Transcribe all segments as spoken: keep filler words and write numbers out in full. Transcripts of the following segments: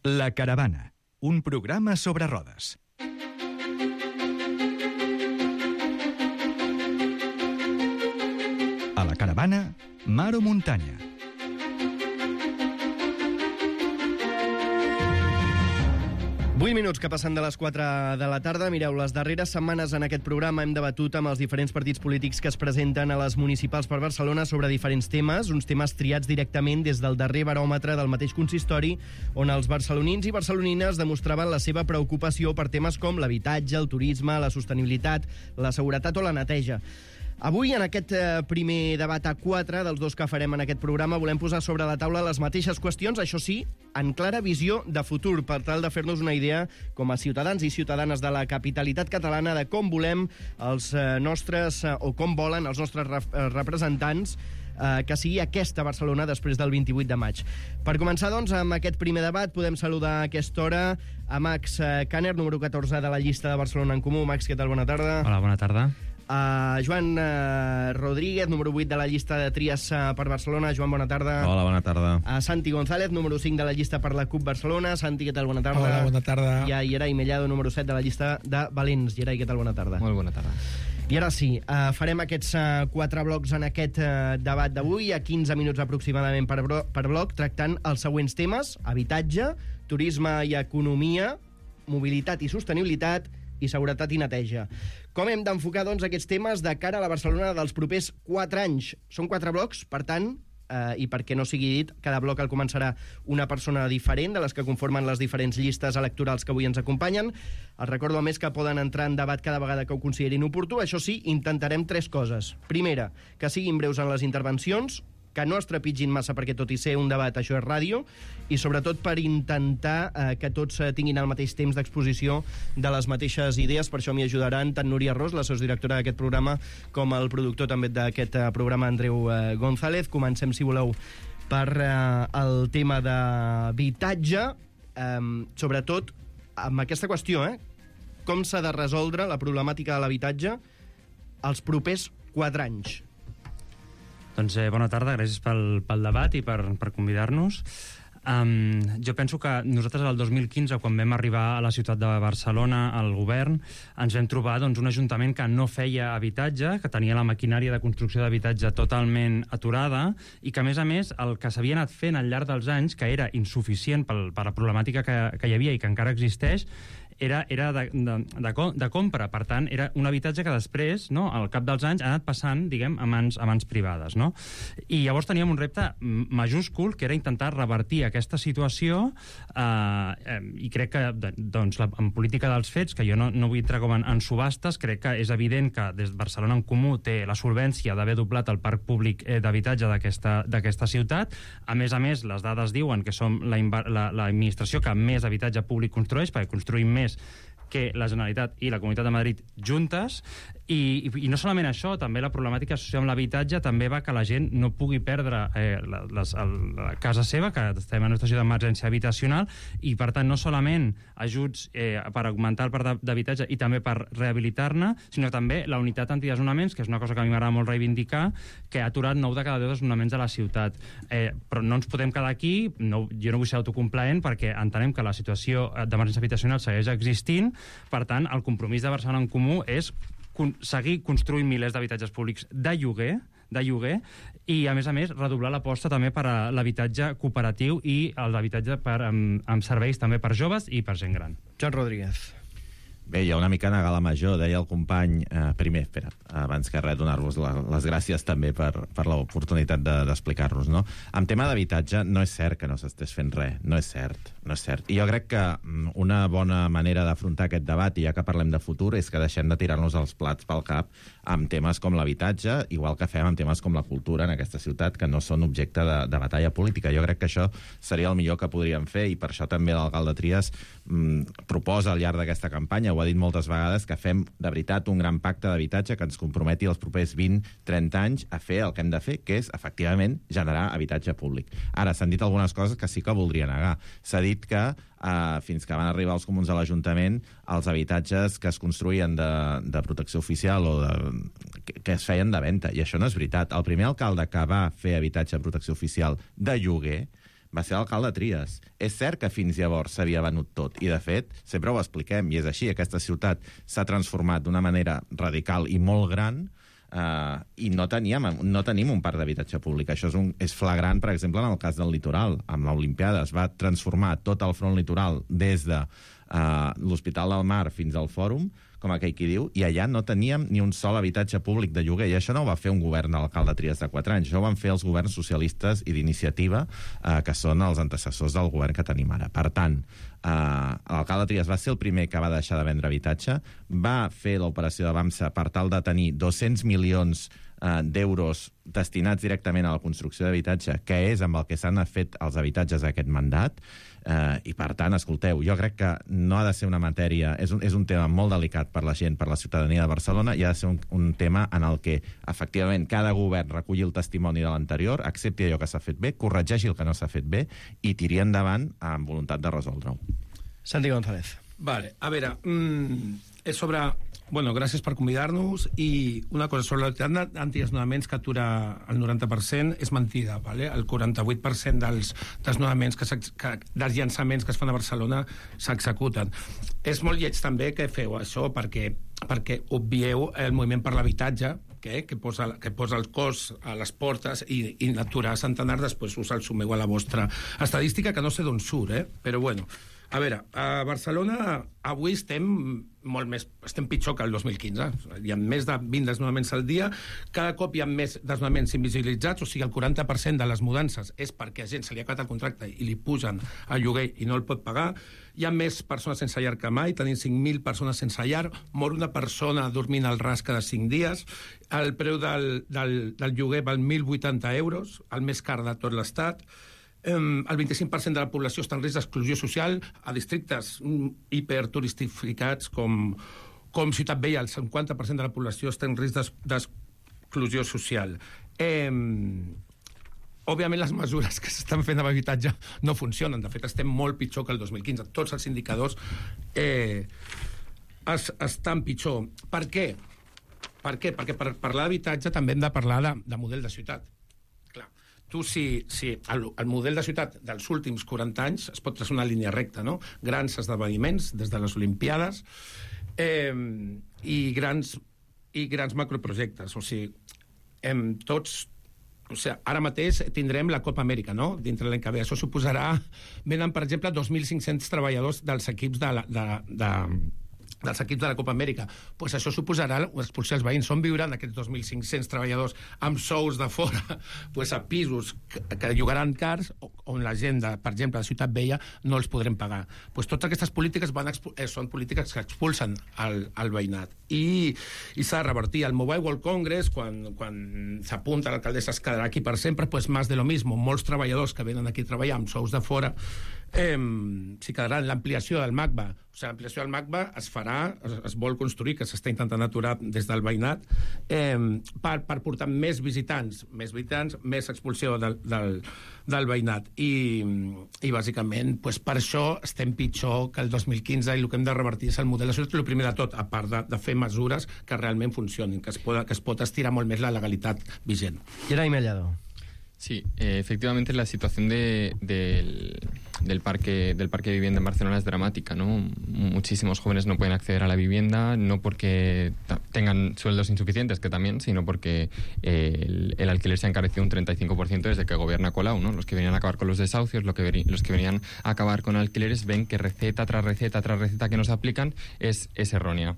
La Caravana, un programa sobre rodes. A la Caravana, mar o muntanya. vuit minuts que passen de les quatre de la tarda. Mireu, les darreres setmanes en aquest programa hem debatut amb els diferents partits polítics que es presenten a les municipals per Barcelona sobre diferents temes, uns temes triats directament des del darrer baròmetre del mateix consistori, on els barcelonins i barcelonines demostraven la seva preocupació per temes com l'habitatge, el turisme, la sostenibilitat, la seguretat o la neteja. Avui, en aquest primer debat a quatre dels dos que farem en aquest programa, volem posar sobre la taula les mateixes qüestions, això sí, en clara visió de futur, per tal de fer-nos una idea com a ciutadans i ciutadanes de la capitalitat catalana de com volem els nostres, o com volen els nostres representants eh, que sigui aquesta Barcelona després del vint-i-vuit de maig. Per començar, doncs, amb aquest primer debat, podem saludar a aquesta hora a Max Kanner, número catorze de la llista de Barcelona en Comú. Max, què tal? Bona tarda. Hola, bona tarda. Uh, Joan uh, Rodríguez, número vuit de la llista de Tries uh, per Barcelona. Joan, bona tarda. Hola, bona tarda. Uh, Santi González, número cinc de la llista per la CUP Barcelona. Santi, què tal? Bona tarda. Hola, bona tarda. I a Yeray Mellado, número set de la llista de Valents. Yeray, què tal? Bona tarda. Molt bona tarda. I ara sí, uh, farem aquests uh, quatre blocs en aquest uh, debat d'avui, a quinze minuts aproximadament per, per bloc, tractant els següents temes: habitatge, turisme i economia, mobilitat i sostenibilitat, i seguretat i neteja. Com hem d'enfocar, doncs, aquests temes de cara a la Barcelona dels propers quatre anys? Són quatre blocs, per tant, eh, i perquè no sigui dit, cada bloc el començarà una persona diferent de les que conformen les diferents llistes electorals que avui ens acompanyen. Els recordo, a més, que poden entrar en debat cada vegada que ho considerin oportú. Això sí, intentarem tres coses. Primera, que siguin breus en les intervencions, que no es trepitgin massa perquè, tot i ser un debat, això és ràdio, i sobretot per intentar eh, que tots eh, tinguin el mateix temps d'exposició de les mateixes idees. Per això m'hi ajudaran tant Núria Ros, la sociodirectora d'aquest programa, com el productor també d'aquest eh, programa, Andreu eh, González. Comencem, si voleu, per eh, el tema d'habitatge, eh, sobretot amb aquesta qüestió, eh? Com s'ha de resoldre la problemàtica de l'habitatge els propers quatre anys? Doncs eh, bona tarda, gràcies pel, pel debat i per, per convidar-nos. Um, jo penso que nosaltres el dos mil quinze, quan vam arribar a la ciutat de Barcelona, al govern, ens vam trobar doncs, un ajuntament que no feia habitatge, que tenia la maquinària de construcció d'habitatge totalment aturada i que, a més a més, el que s'havia anat fent al llarg dels anys, que era insuficient pel, per la problemàtica que, que hi havia i que encara existeix, era, era de, de, de, de compra. Per tant, era un habitatge que després, no, al cap dels anys, ha anat passant, diguem, a mans, a mans privades, no? I llavors teníem un repte majúscul, que era intentar revertir aquesta situació, eh, eh, i crec que, doncs, la, en política dels fets, que jo no, no vull entrar com en, en subhastes, crec que és evident que des de Barcelona en Comú té la solvència d'haver doblat el parc públic eh, d'habitatge d'aquesta ciutat. A més a més, les dades diuen que som l'administració que més habitatge públic construeix, perquè construïm més que la Generalitat i la Comunitat de Madrid juntes, i, i, i no solament això, també la problemàtica associada amb l'habitatge també va que la gent no pugui perdre eh, la, les, el, la casa seva, que estem en una situació d'emergència habitacional, i per tant no solament ajuts eh, per augmentar el parc d'habitatge i també per rehabilitar-ne, sinó també la unitat antidesnonaments, que és una cosa que a mi m'agrada molt reivindicar, que ha aturat nou de cada deu desnonaments de la ciutat. Eh, però no ens podem quedar aquí, no, jo no vull ser autocomplaent, perquè entenem que la situació d'emergència habitacional segueix existint. Per tant, el compromís de Barcelona en Comú és con- seguir construint milers d'habitatges públics de lloguer, de lloguer i, a més a més, redoblar l'aposta també per a l'habitatge cooperatiu i l'habitatge per, amb, amb serveis també per joves i per gent gran. Joan Rodríguez. Bé, hi ha una mica a gala major, deia el company, eh, primer, espera, abans que res, donar-vos la, les gràcies també per, per l'oportunitat d'explicar-nos, no? En tema d'habitatge, no és cert que no s'estés fent res, no és cert, no és cert. I jo crec que una bona manera d'afrontar aquest debat, i ja que parlem de futur, és que deixem de tirar-nos els plats pel cap amb temes com l'habitatge, igual que fem amb temes com la cultura en aquesta ciutat, que no són objecte de, de batalla política. Jo crec que això seria el millor que podríem fer, i per això també l'alcalde Trias mm, proposa al llarg d'aquesta campanya, ho ha dit moltes vegades, que fem de veritat un gran pacte d'habitatge que ens comprometi els propers vint trenta anys a fer el que hem de fer, que és, efectivament, generar habitatge públic. Ara, s'han dit algunes coses que sí que voldria negar. S'ha dit que eh, fins que van arribar els comuns a l'Ajuntament, els habitatges que es construïen de, de protecció oficial o de, que, que es feien de venda, i això no és veritat. El primer alcalde que va fer habitatge de protecció oficial de lloguer va ser l'alcalde Trias. És cert que fins llavors s'havia venut tot, i de fet, sempre ho expliquem, i és així, aquesta ciutat s'ha transformat d'una manera radical i molt gran, Uh, i no teníem, no tenim un parc d'habitatge públic. Això és, un, és flagrant, per exemple, en el cas del litoral. Amb l'Olimpiada es va transformar tot el front litoral des de uh, l'Hospital del Mar fins al Fòrum, com aquell qui diu, i allà no teníem ni un sol habitatge públic de lloguer. I això no ho va fer un govern de l'alcalde Trias de quatre anys, això ho van fer els governs socialistes i d'iniciativa, uh, que són els antecessors del govern que tenim ara. Per tant, Uh, l'alcalde Trias va ser el primer que va deixar de vendre habitatge, va fer l'operació de BAMSA per tal de tenir dos-cents milions uh, d'euros destinats directament a la construcció d'habitatge, que és amb el que s'han fet els habitatges d'aquest mandat, uh, i per tant, escolteu, jo crec que no ha de ser una matèria, és un, és un tema molt delicat per la gent, per la ciutadania de Barcelona, i ha de ser un, un tema en el que, efectivament, cada govern reculli el testimoni de l'anterior, accepti allò que s'ha fet bé, corregeixi el que no s'ha fet bé, i tiri endavant amb voluntat de resoldre-ho. Santi González. Vale, a veure, mmm, és sobre... Bueno, gràcies per convidar-nos, i una cosa sobre l'autoritat antidesnonaments que atura el noranta per cent és mentida, vale? El quaranta-vuit per cent dels desnonaments, que, que, dels llançaments que es fan a Barcelona s'executen. És molt lleig també que feu això perquè, perquè obvieu el moviment per l'habitatge, que, que, posa, que posa el cos a les portes, i, i aturar centenars, després us el sumeu a la vostra estadística, que no sé d'on surt, eh? Però bueno... A veure, a Barcelona avui estem molt més, estem pitjor que el dos mil quinze. Hi ha més de vint desnonaments al dia, cada cop hi ha més desnonaments invisibilitzats, o sigui, el quaranta per cent de les mudances és perquè a gent se li ha acabat el contracte i li pugen el lloguer i no el pot pagar. Hi ha més persones sense llar que mai, tenim cinc mil persones sense llar, mor una persona dormint al ras cada cinc dies, el preu del, del, del lloguer val mil vuitanta euros, el més car de tot l'Estat. Um, el vint-i-cinc per cent de la població està en risc d'exclusió social a districtes um, hiperturistificats com, com Ciutat Vella. El cinquanta per cent de la població està en risc d'exclusió social. Um, òbviament les mesures que s'estan fent amb habitatge no funcionen. De fet, estem molt pitjor que el dos mil quinze. Tots els indicadors eh, es, estan pitjor. Per què? Per què? Perquè per parlar d'habitatge també hem de parlar de, de model de ciutat. Tu, si, si el, el model de ciutat dels últims quaranta anys es pot traçar una línia recta, no? Grans esdeveniments, des de les Olimpiades, eh, i, grans, i grans macroprojectes. O sigui, hem tots... O sigui, ara mateix tindrem la Copa Amèrica, no?, dintre l'any que ve. Això suposarà... Venen, per exemple, dos mil cinc-cents treballadors dels equips de... La, de, de dels equips de la Copa Amèrica. Pues això suposarà expulsar els veïns. On viuran aquests dos mil cinc-cents treballadors amb sous de fora, pues a pisos que, que llogaran cars, on la gent, de, per exemple, de Ciutat Vella, no els podrem pagar. Pues totes aquestes polítiques van eh, són polítiques que expulsen el, el veïnat. I, i s'ha de revertir. El Mobile World Congress, quan, quan s'apunta l'alcaldessa es quedarà aquí per sempre, pues más de lo mismo. Molts treballadors que venen aquí a treballar amb sous de fora eh, s'hi quedaran. L'ampliació del MACBA, o sigui, l'ampliació del MACBA es farà, es, es vol construir, que s'està intentant aturar des del veïnat, eh, per, per portar més visitants, més visitants, més expulsió del, del, del veïnat. I, i bàsicament, pues, per això estem pitjor que el dos mil quinze, i el que hem de revertir és el model de ciutat, el primer de tot, a part de, de fer mesures que realment funcionin, que es, pot, que es pot estirar molt més la legalitat vigent. Gerai Mellado. Sí, eh, efectivamente la situación de, de, del, parque, del parque de vivienda en Barcelona es dramática, ¿no? Muchísimos jóvenes no pueden acceder a la vivienda, no porque tengan sueldos insuficientes, que también, sino porque eh, el, el alquiler se ha encarecido un treinta y cinco por ciento desde que gobierna Colau, ¿no? Los que venían a acabar con los desahucios, lo que, los que venían a acabar con alquileres, ven que receta tras receta tras receta que nos aplican es, es errónea.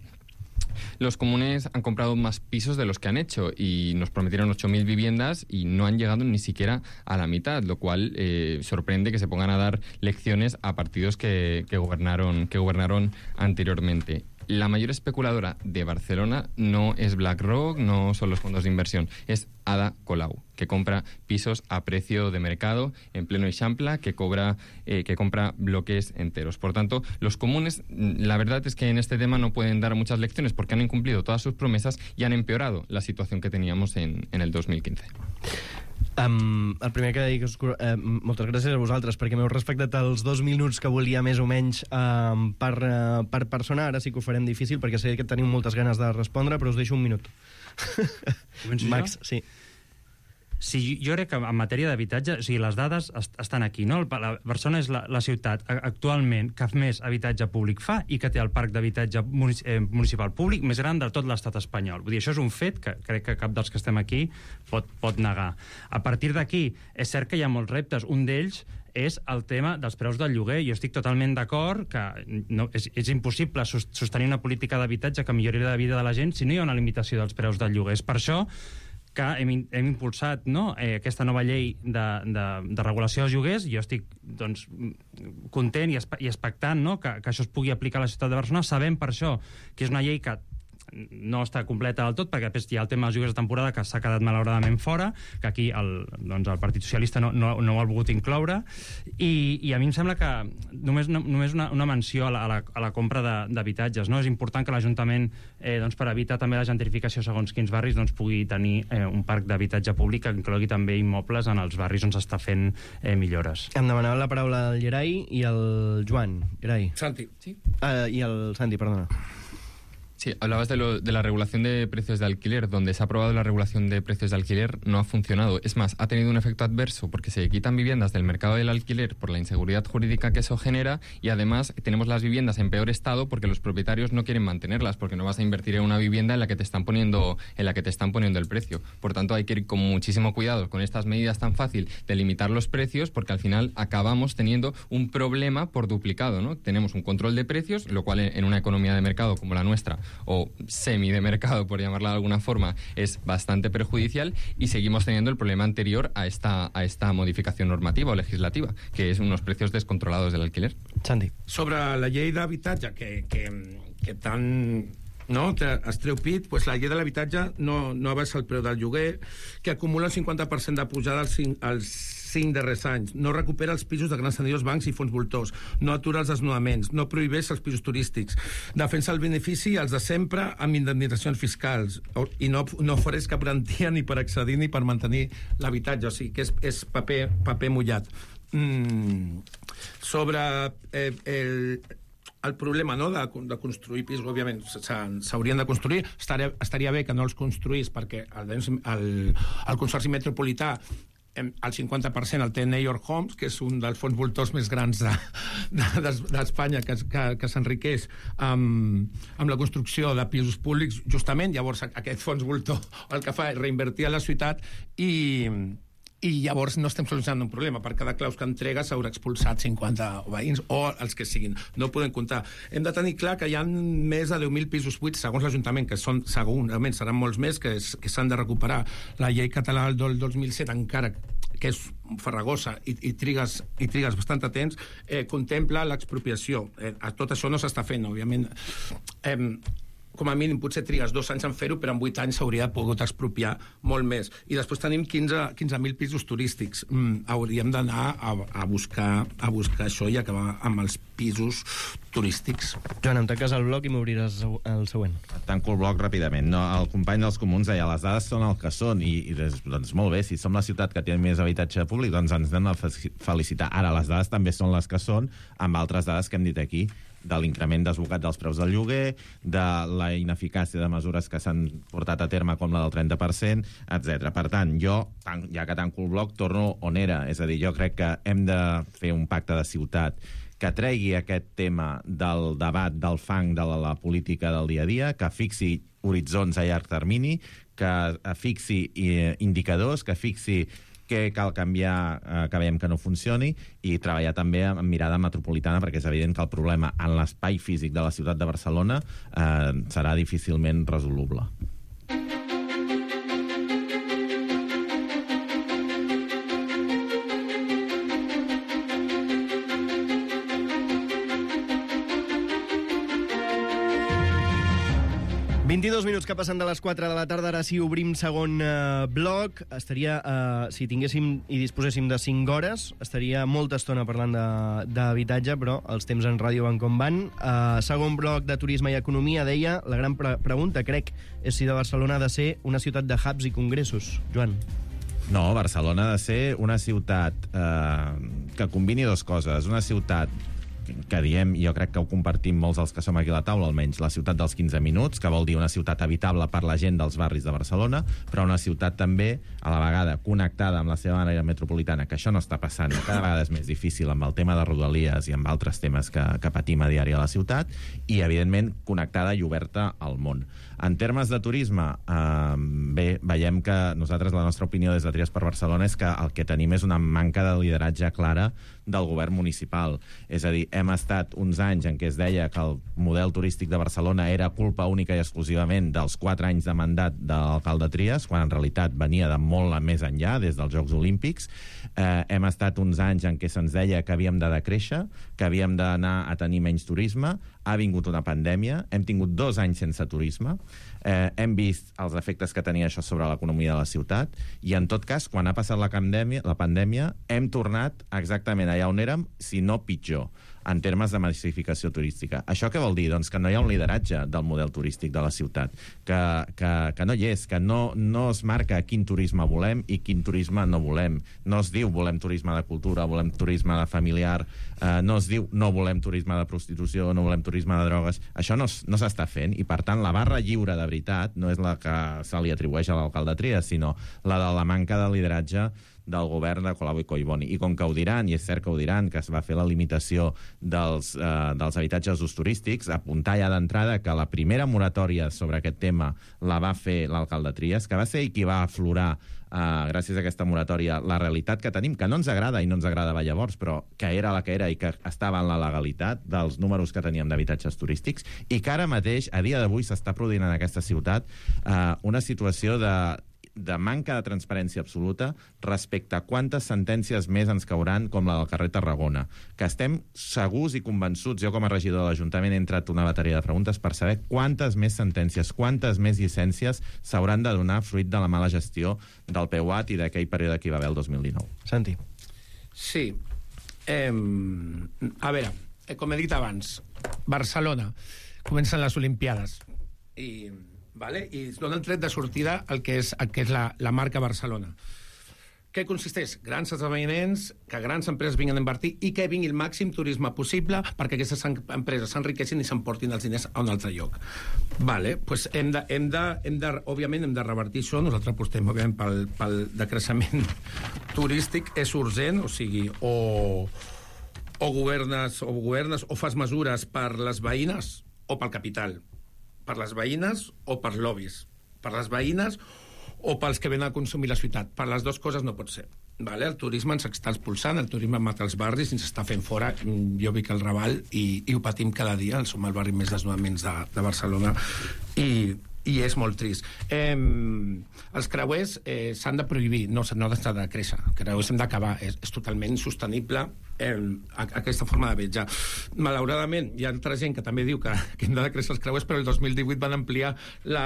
Los comunes han comprado más pisos de los que han hecho y nos prometieron ocho mil viviendas y no han llegado ni siquiera a la mitad, lo cual eh, sorprende que se pongan a dar lecciones a partidos que, que, gobernaron, que gobernaron anteriormente. La mayor especuladora de Barcelona no es BlackRock, no son los fondos de inversión, es Ada Colau, que compra pisos a precio de mercado en pleno Eixample, que cobra, eh, que compra bloques enteros. Por tanto, los comunes, la verdad es que en este tema no pueden dar muchas lecciones porque han incumplido todas sus promesas y han empeorado la situación que teníamos en, en el dos mil quince. Um, el primer que dic és uh, moltes gràcies a vosaltres perquè m'heu respectat els dos minuts que volia més o menys um, per, uh, per persona. Ara sí que ho farem difícil perquè sé que teniu moltes ganes de respondre, però us deixo un minut. Començo Max, jo? sí. si jo crec que en matèria d'habitatge, o sigui, les dades est estan aquí, no? La Barcelona és la, la ciutat actualment que més habitatge públic fa i que té el parc d'habitatge munic eh, municipal públic més gran de tot l'estat espanyol. Vull dir, això és un fet que crec que cap dels que estem aquí pot, pot negar. A partir d'aquí, és cert que hi ha molts reptes. Un d'ells és el tema dels preus del lloguer. Jo estic totalment d'acord que no, és, és impossible sostenir una política d'habitatge que millori la vida de la gent si no hi ha una limitació dels preus del lloguer. És per això que hem, hem impulsat, no, eh, aquesta nova llei de, de, de regulació dels lloguers. Jo estic doncs, content i, i expectant, no, que, que això es pugui aplicar a la ciutat de Barcelona. Sabem per això que és una llei que no està completa del tot, perquè després hi ha el tema dels lloguers de temporada que s'ha quedat malauradament fora, que aquí el, doncs el Partit Socialista no, no, no ho ha volgut incloure, i, i a mi em sembla que només, no, només una, una menció a la, a la, a la compra d'habitatges, no? És important que l'Ajuntament, eh, doncs, per evitar també la gentrificació segons quins barris, doncs, pugui tenir eh, un parc d'habitatge públic que inclogui també immobles en els barris on s'està fent eh, millores. Em demanava la paraula el Gerai i el Joan. Gerai. Santi. Sí. Uh, I el Santi, perdona. Sí, hablabas de, lo, de la regulación de precios de alquiler. Donde se ha aprobado la regulación de precios de alquiler no ha funcionado. Es más, ha tenido un efecto adverso porque se quitan viviendas del mercado del alquiler por la inseguridad jurídica que eso genera, y además tenemos las viviendas en peor estado porque los propietarios no quieren mantenerlas, porque no vas a invertir en una vivienda en la que te están poniendo, en la que te están poniendo el precio. Por tanto, hay que ir con muchísimo cuidado con estas medidas tan fácil de limitar los precios, porque al final acabamos teniendo un problema por duplicado, ¿no? Tenemos un control de precios, lo cual en una economía de mercado como la nuestra, o semi de mercado, por llamarla de alguna forma, es bastante perjudicial, y seguimos teniendo el problema anterior a esta, a esta modificación normativa o legislativa, que es unos precios descontrolados del alquiler. Santi. Sobre la llei d'habitatge, que, que, que tant no, es treu pit, pues la llei de l'habitatge no, no abaixa el preu del lloguer, que acumula el cinquanta per cent de pujada als cinc, als cinc darrers anys, no recupera els pisos de grans tenidors, bancs i fons voltors, no atura els desnonaments, no prohibeix els pisos turístics, defensa el benefici als de sempre amb indemnitzacions fiscals, i no, no ofereix cap garantia ni per accedir ni per mantenir l'habitatge, o sigui que és, és paper, paper mullat. Mm. Sobre eh, el... el problema, no, de, de construir pisos, òbviament, s'haurien de construir. Estaria, estaria bé que no els construís, perquè el, el, el Consorci Metropolità el cinquanta per cent el té New York Homes, que és un dels fons voltors més grans d'Espanya, de, de, que, que, que s'enriqueix amb, amb la construcció de pisos públics, justament. Llavors aquest fons voltor el que fa és reinvertir a la ciutat, i i llavors no estem solucionant un problema. Per cada claus que entrega s'haurà expulsat cinquanta veïns o els que siguin. No podem comptar. Hem de tenir clar que hi ha més de deu mil pisos buits, segons l'Ajuntament, que són, segurament seran molts més, que, que s'han de recuperar. La llei catalana del dos mil set, encara que és farragosa i, i, trigues, i trigues bastant temps, eh, contempla l'expropiació. Eh, tot això no s'està fent, òbviament. Eh, com a mínim potser trigues dos anys en fer-ho, però en vuit anys s'hauria pogut expropiar molt més. I després tenim quinze mil pisos turístics. Mm, hauríem d'anar a, a, buscar, a buscar això i acabar amb els pisos turístics. Joan, em tanques el bloc i m'obriràs el següent. Tanco el bloc ràpidament. No, el company dels comuns deia, les dades són el que són, i, i doncs molt bé, si som la ciutat que té més habitatge públic, doncs ens hem de felicitar. Ara, les dades també són les que són, amb altres dades que hem dit aquí, de l'increment desbocat dels preus del lloguer, de la ineficàcia de mesures que s'han portat a terme, com la del trenta per cent, etcètera. Per tant, jo, ja que tanco el bloc, torno on era. És a dir, jo crec que hem de fer un pacte de ciutat que tregui aquest tema del debat, del fang de la, la política del dia a dia, que fixi horitzons a llarg termini, que fixi eh, indicadors, que fixi què cal canviar, eh, que veiem que no funcioni, i treballar també amb mirada metropolitana, perquè és evident que el problema en l'espai físic de la ciutat de Barcelona eh, serà difícilment resoluble. vint-i-dos minuts que passen de les quatre de la tarda, ara sí obrim segon eh, bloc. Estaria, eh, si tinguéssim i disposéssim de cinc hores, estaria molta estona parlant d'habitatge, però els temps en ràdio van com van. Eh, segon bloc de turisme i economia, deia, la gran pre pregunta, crec, és si de Barcelona ha de ser una ciutat de hubs i congressos. Joan. No, Barcelona ha de ser una ciutat eh, que combini dues coses. Una ciutat que diem, jo crec que ho compartim molts dels que som aquí a la taula, almenys, la ciutat dels quinze minuts, que vol dir una ciutat habitable per la gent dels barris de Barcelona, però una ciutat també, a la vegada, connectada amb la seva àrea metropolitana, que això no està passant, cada vegada és més difícil amb el tema de Rodalies i amb altres temes que, que patim a diari a la ciutat, i, evidentment, connectada i oberta al món. En termes de turisme, eh, bé, veiem que nosaltres, la nostra opinió des de Tries per Barcelona és que el que tenim és una manca de lideratge clara del govern municipal. És a dir, hem estat uns anys en què es deia que el model turístic de Barcelona era culpa única i exclusivament dels quatre anys de mandat de l'alcalde Trias, quan en realitat venia de molt més enllà, des dels Jocs Olímpics. Eh, hem estat uns anys en què se'ns deia que havíem de decréixer, que havíem d'anar a tenir menys turisme. Ha vingut una pandèmia, hem tingut dos anys sense turisme, eh, hem vist els efectes que tenia això sobre l'economia de la ciutat, i en tot cas, quan ha passat la pandèmia, la pandèmia hem tornat exactament allà on érem, si no pitjor, en termes de massificació turística. Això què vol dir? Doncs que no hi ha un lideratge del model turístic de la ciutat, que, que, que no hi és, que no, no es marca quin turisme volem i quin turisme no volem. No es diu volem turisme de cultura, volem turisme de familiar, eh, no es diu no volem turisme de prostitució, no volem turisme de drogues. Això no, no s'està fent, i per tant la barra lliure de veritat no és la que se li atribueix a l'alcalde Trias, sinó la de la manca de lideratge del govern de Colau i Collboni. I com que ho diran, i és cert que ho diran, que es va fer la limitació dels, eh, dels habitatges d'ús turístics, apuntar ja d'entrada que la primera moratòria sobre aquest tema la va fer l'alcalde Trias, que va ser i qui va aflorar, eh, gràcies a aquesta moratòria, la realitat que tenim, que no ens agrada i no ens agradava llavors, però que era la que era i que estava en la legalitat dels números que teníem d'habitatges turístics, i que ara mateix, a dia d'avui, s'està produint en aquesta ciutat eh, una situació de de manca de transparència absoluta respecte a quantes sentències més ens cauran, com la del carrer Tarragona, que estem segurs i convençuts, jo com a regidor de l'Ajuntament he entrat una bateria de preguntes per saber quantes més sentències, quantes més llicències s'hauran de donar fruit de la mala gestió del P U A T i d'aquell període que hi va haver el dos mil dinou. Santi. Sí. Eh, a veure, com he dit abans, Barcelona, comencen les Olimpiades i... Vale? I es dona el tret de sortida el que és, el que és la, la marca Barcelona. Què consisteix? Grans esdeveniments, que grans empreses vinguin a invertir i que vingui el màxim turisme possible perquè aquestes empreses s'enriqueixin i s'emportin els diners a un altre lloc. Vale, pues hem de, hem de, hem de, òbviament hem de revertir això. Nosaltres apostem òbviament pel, pel decreixement turístic. És urgent, o sigui, o, o governes o governes o fas mesures per les veïnes o pel capital. Per les veïnes o per lobbies. Per les veïnes o pels que venen a consumir la ciutat. Per les dues coses no pot ser. Vale? El turisme ens està expulsant, el turisme mata els barris i ens està fent fora. Jo vic al Raval i, i ho patim cada dia. Som el barri més desnonaments de, de Barcelona i, i és molt trist. Eh, els creuers eh, s'han de prohibir, no, no s'ha de créixer. Els creuers hem d'acabar. És, és totalment insostenible eh, aquesta forma de viatjar. Malauradament, hi ha altra gent que també diu que, que hem de créixer els creuers, però el dos mil divuit van ampliar la...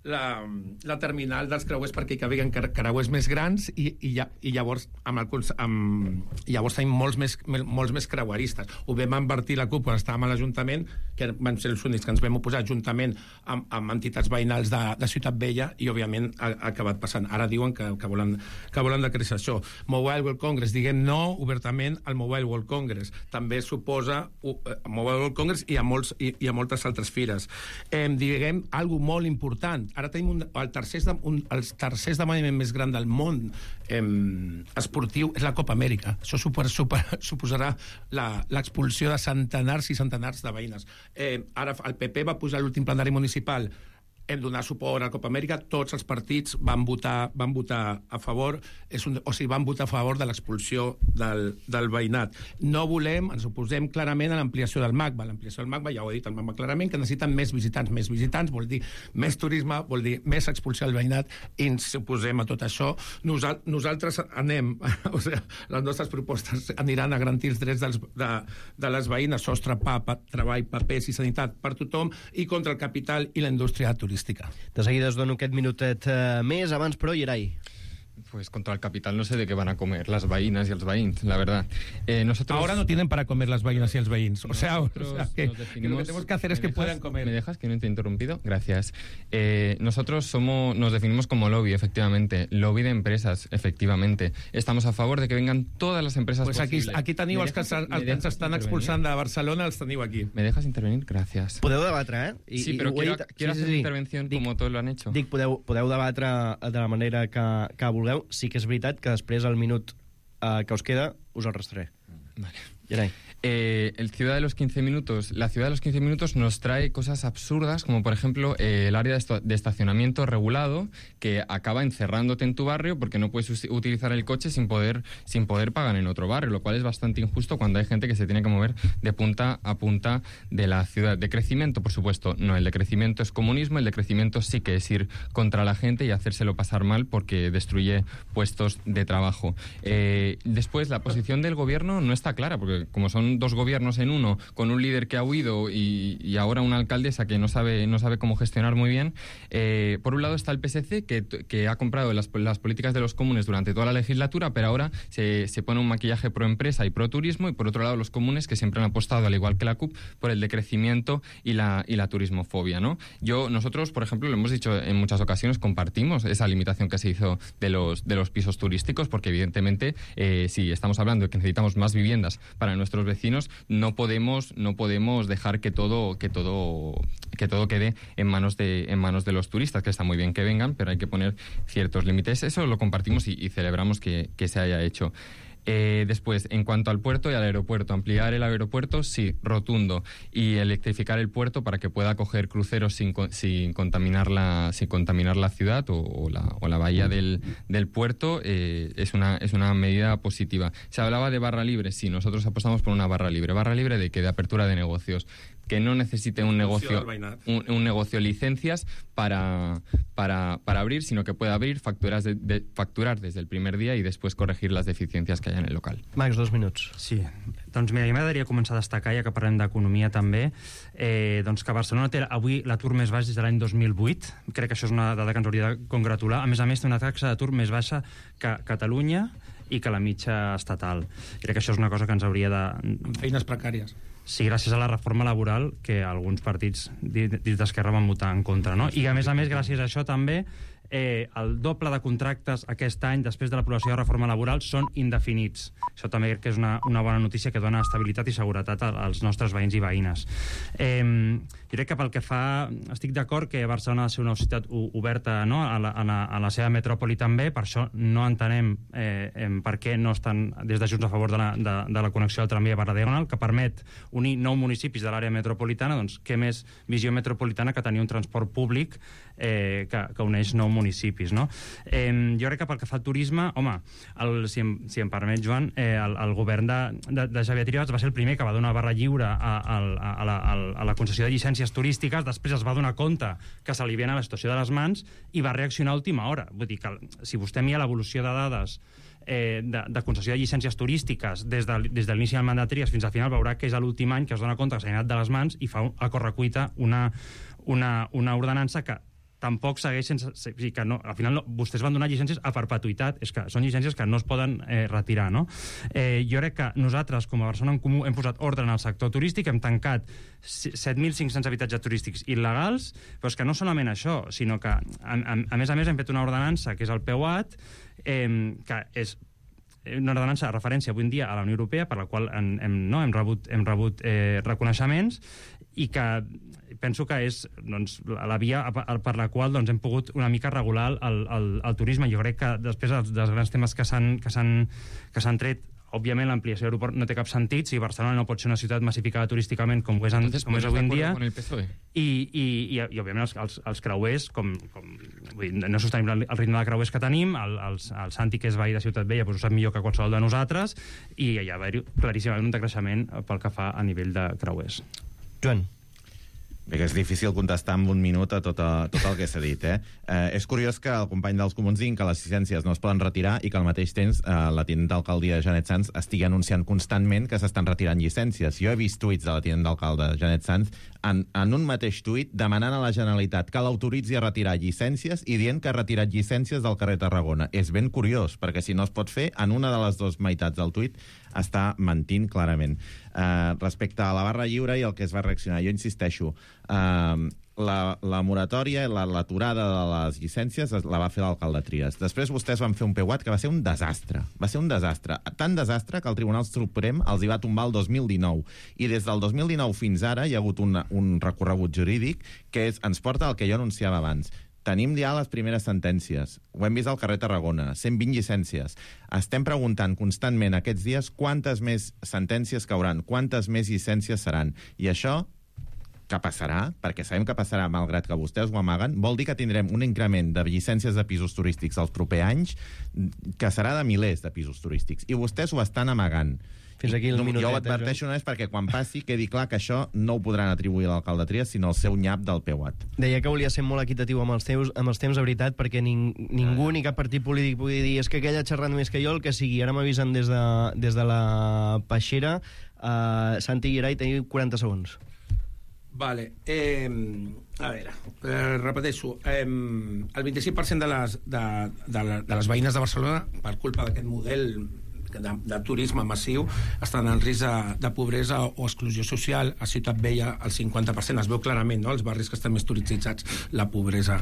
La, la terminal dels creuers perquè hi cabiguen creuers més grans i, i, ja, i llavors amb el, amb, llavors tenim molts més, molts més creueristes. Ho vam invertir la CUP quan estàvem a l'Ajuntament, que van ser els únics que ens vam oposar juntament amb, amb entitats veïnals de, de Ciutat Vella, i òbviament ha, ha acabat passant. Ara diuen que, que, volen, que volen decréixer això. Mobile World Congress, diguem no obertament al Mobile World Congress. També suposa uh, Mobile World Congress i a, molts, i, i a moltes altres fires. Eh, diguem algo molt important. Ara tenim un, el tercer un, el tercer esdeveniment més gran del món eh, esportiu és la Copa Amèrica. Això super, super, suposarà l'expulsió de centenars i centenars de veïnes. Eh, ara el P P va posar l'últim plenari municipal, hem donat suport a la Copa Amèrica, tots els partits van votar, van votar a favor, és un, o sigui, van votar a favor de l'expulsió del, del veïnat. No volem, ens oposem clarament a l'ampliació del MACBA. L'ampliació del MACBA, ja ho ha dit el MACBA clarament, que necessiten més visitants. Més visitants vol dir més turisme, vol dir més expulsió del veïnat, i ens oposem a tot això. Nosal, nosaltres anem, o sigui, les nostres propostes aniran a garantir els drets dels, de, de les veïnes, sostre, pa, pa, treball, papers i sanitat per tothom, i contra el capital i la indústria turística. De seguida us dono aquest minutet eh, més. Abans, però, Yeray. Pues contra el capital no sé de qué van a comer las veïnes y els veïns, la verdad. Eh, nosotros... Ahora no tienen para comer las veïnes y els veïns. O sea, o Nosotros sea que, nos definimos- que lo que tenemos que hacer es ¿Me que dejas- puedan comer. ¿Me dejas que no te he interrumpido? Gracias. Eh, nosotros somos, nos definimos como lobby, efectivamente. Lobby de empresas, efectivamente. Estamos a favor de que vengan todas las empresas Pues aquí, posibles. aquí teniu ¿Me els que, dejas- estan, me els que ens dejas estan intervenir? expulsant de Barcelona, els teniu aquí. ¿Me dejas intervenir? Gracias. Podeu debatre, eh? I, Sí, i pero ho he quiero, dit- quiero sí, sí, hacer sí. mi intervención Dic- como todos lo han hecho. Dic, podeu, podeu debatre de la manera que, que vulgueu. Sí que és veritat que després, al minut eh, que us queda, us el restaré. Vale. Gerai. Eh, el Ciudad de los quince minutos. La Ciudad de los quince minutos nos trae cosas absurdas, como por ejemplo eh, el área de, esto- de estacionamiento regulado, que acaba encerrándote en tu barrio porque no puedes us- utilizar el coche sin poder, sin poder pagar en otro barrio, lo cual es bastante injusto cuando hay gente que se tiene que mover de punta a punta de la ciudad. De crecimiento, por supuesto, no. El de crecimiento es comunismo, el de crecimiento sí que es ir contra la gente y hacérselo pasar mal porque destruye puestos de trabajo. Eh, después, la posición del gobierno no está clara, porque como son dos gobiernos en uno, con un líder que ha huido y, y ahora una alcaldesa que no sabe, no sabe cómo gestionar muy bien, eh, por un lado está el P S C, que, que ha comprado las, las políticas de los comunes durante toda la legislatura, pero ahora se, se pone un maquillaje pro empresa y pro turismo, y por otro lado los comunes, que siempre han apostado, al igual que la C U P, por el decrecimiento y la, y la turismofobia, ¿no? Yo, nosotros, por ejemplo, lo hemos dicho en muchas ocasiones, compartimos esa limitación que se hizo de los, de los pisos turísticos, porque evidentemente, eh, si estamos hablando de que necesitamos más viviendas para nuestros vecinos, no podemos, no podemos dejar que todo, que todo, que todo quede en manos de, en manos de los turistas, que está muy bien que vengan, pero hay que poner ciertos límites. Eso lo compartimos y, y celebramos que, que se haya hecho. Eh, después, en cuanto al puerto y al aeropuerto, ampliar el aeropuerto, sí, rotundo, y electrificar el puerto para que pueda acoger cruceros sin, co- sin, contaminar, la, sin contaminar la ciudad o, o, la, o la bahía del, del puerto, eh, es, una, es una medida positiva. Se hablaba de barra libre, sí, nosotros apostamos por una barra libre. ¿Barra libre de qué? De apertura de negocios. Que no necesite un negocio, un, un negocio licencias para, para, para abrir, sino que pueda abrir, facturar, de, de, facturar desde el primer día y después corregir las deficiencias que haya en el local. Max, dos minuts. Sí, doncs mira, a mi m'agradaria començar a destacar, ja que parlem d'economia també, eh, doncs que Barcelona té avui l'atur més baix des de l'any dos mil vuit. Crec que això és una dada que ens hauria de congratular. A més a més, té una taxa d'atur més baixa que Catalunya i que la mitja estatal. Crec que això és una cosa que ens hauria de... Amb feines precàries. Sí, gràcies a la reforma laboral que alguns partits dins d'Esquerra van votar en contra, no? I a més a més, gràcies a això també, eh, el doble de contractes aquest any, després de l'aprovació de la reforma laboral, són indefinits. Això també crec que és una, una bona notícia que dona estabilitat i seguretat als nostres veïns i veïnes. Eh, jo crec que pel que fa... Estic d'acord que Barcelona ha de ser una ciutat oberta, no?, a, la, a, la, a la seva metròpoli també, per això no entenem eh, per què no estan des de Junts a favor de la, de, de la connexió del tramvia per la Diagonal, que permet unir nou municipis de l'àrea metropolitana. Doncs què més visió metropolitana que tenir un transport públic eh, que, que uneix nou municipis, no? Eh, jo crec que pel que fa al turisme, home, el, si, em, si em permet, Joan, eh, el, el govern de, de, de Xavier Trias va ser el primer que va donar barra lliure a, a, a, la, a la concessió de llicències turístiques, després es va donar compte que s'aliviana la situació de les mans i va reaccionar a última hora. Vull dir que si vostè mira l'evolució de dades eh, de, de concessió de llicències turístiques des de, des de l'inici del mandat Trias fins al final, veurà que és l'últim any que es dona compte que s'ha anat de les mans i fa a correcuita una, una, una ordenança que tampoc segueix sense... O sigui, que no, al final no, vostès van donar llicències a perpetuïtat, és que són llicències que no es poden eh, retirar, no? Eh, jo crec que nosaltres, com a Barcelona en Comú, hem posat ordre en el sector turístic, hem tancat set mil cinc-cents habitatges turístics il·legals, però és que no solament això, sinó que, a, a, a més a més, hem fet una ordenança, que és el P U A T, eh, que és una ordenança de referència avui en dia a la Unió Europea, per la qual hem, hem, no, hem rebut, hem rebut eh, reconeixements, i que penso que és doncs, la via per la qual doncs, hem pogut una mica regular el, el, el turisme. Jo crec que després dels, dels grans temes que s'han que s'han tret, òbviament l'ampliació de l'aeroport no té cap sentit si Barcelona no pot ser una ciutat massificada turísticament com és, en, com és avui en dia, i, i, i, i òbviament els, els, els creuers com, com, vull dir, no és sostenible el ritme de creuers que tenim, el, el, el Santi, que és veí de Ciutat Vella, doncs ho sap millor que qualsevol de nosaltres, i hi ha claríssimament un decreixement pel que fa a nivell de creuers. Joan. Bé, que és difícil contestar en un minut a tot, a, tot el que s'ha dit, eh? eh? És curiós que el company dels Comuns diguin que les llicències no es poden retirar i que al mateix temps eh, la tinent d'alcaldia Janet Sanz estigui anunciant constantment que s'estan retirant llicències. Jo he vist tuits de la tinent d'alcalde Janet Sanz en, en un mateix tuit demanant a la Generalitat que l'autoritzi a retirar llicències i dient que ha retirat llicències del carrer Tarragona. És ben curiós, perquè si no es pot fer, en una de les dues meitats del tuit està mentint clarament. Uh, respecte a la barra lliure i el que es va reaccionar, jo insisteixo, uh, la, la moratòria, la, l'aturada de les llicències la va fer l'alcalde Trias. Després vostès van fer un P U A T que va ser un desastre. Va ser un desastre. Tan desastre que el Tribunal Suprem els hi va tombar el dos mil dinou. I des del dos mil dinou fins ara hi ha hagut un, un recorregut jurídic que és, ens porta al que jo anunciava abans. Tenim ja les primeres sentències. Ho hem vist al carrer Tarragona. cent vint llicències. Estem preguntant constantment aquests dies quantes més sentències cauran, quantes més llicències seran. I això, que passarà, perquè sabem que passarà malgrat que vostès ho amaguen, vol dir que tindrem un increment de llicències de pisos turístics els propers anys que serà de milers de pisos turístics. I vostès ho estan amagant. Fins aquí el minutet, jo ho adverteixo només perquè quan passi quedi clar que això no ho podran atribuir a l'alcalde Trias, sinó al seu nyap del P U A T. Deia que volia ser molt equitatiu amb els, teus, amb els temps, de veritat, perquè ning, ningú ni cap partit polític pugui dir és que aquell ha xerrat més que jo, el que sigui. Ara m'avisen des de, des de la Peixera. Uh, Santi Gerai, teniu quaranta segons. Vale. Eh, a veure, eh, repeteixo. Eh, el vint-i-cinc per cent de les, de, de, de les veïnes de Barcelona, per culpa d'aquest model de, de turisme massiu, estan en risc de, de pobresa o exclusió social. A Ciutat Vella el cinquanta per cent es veu clarament, no? Els barris que estan més turistitzats, la pobresa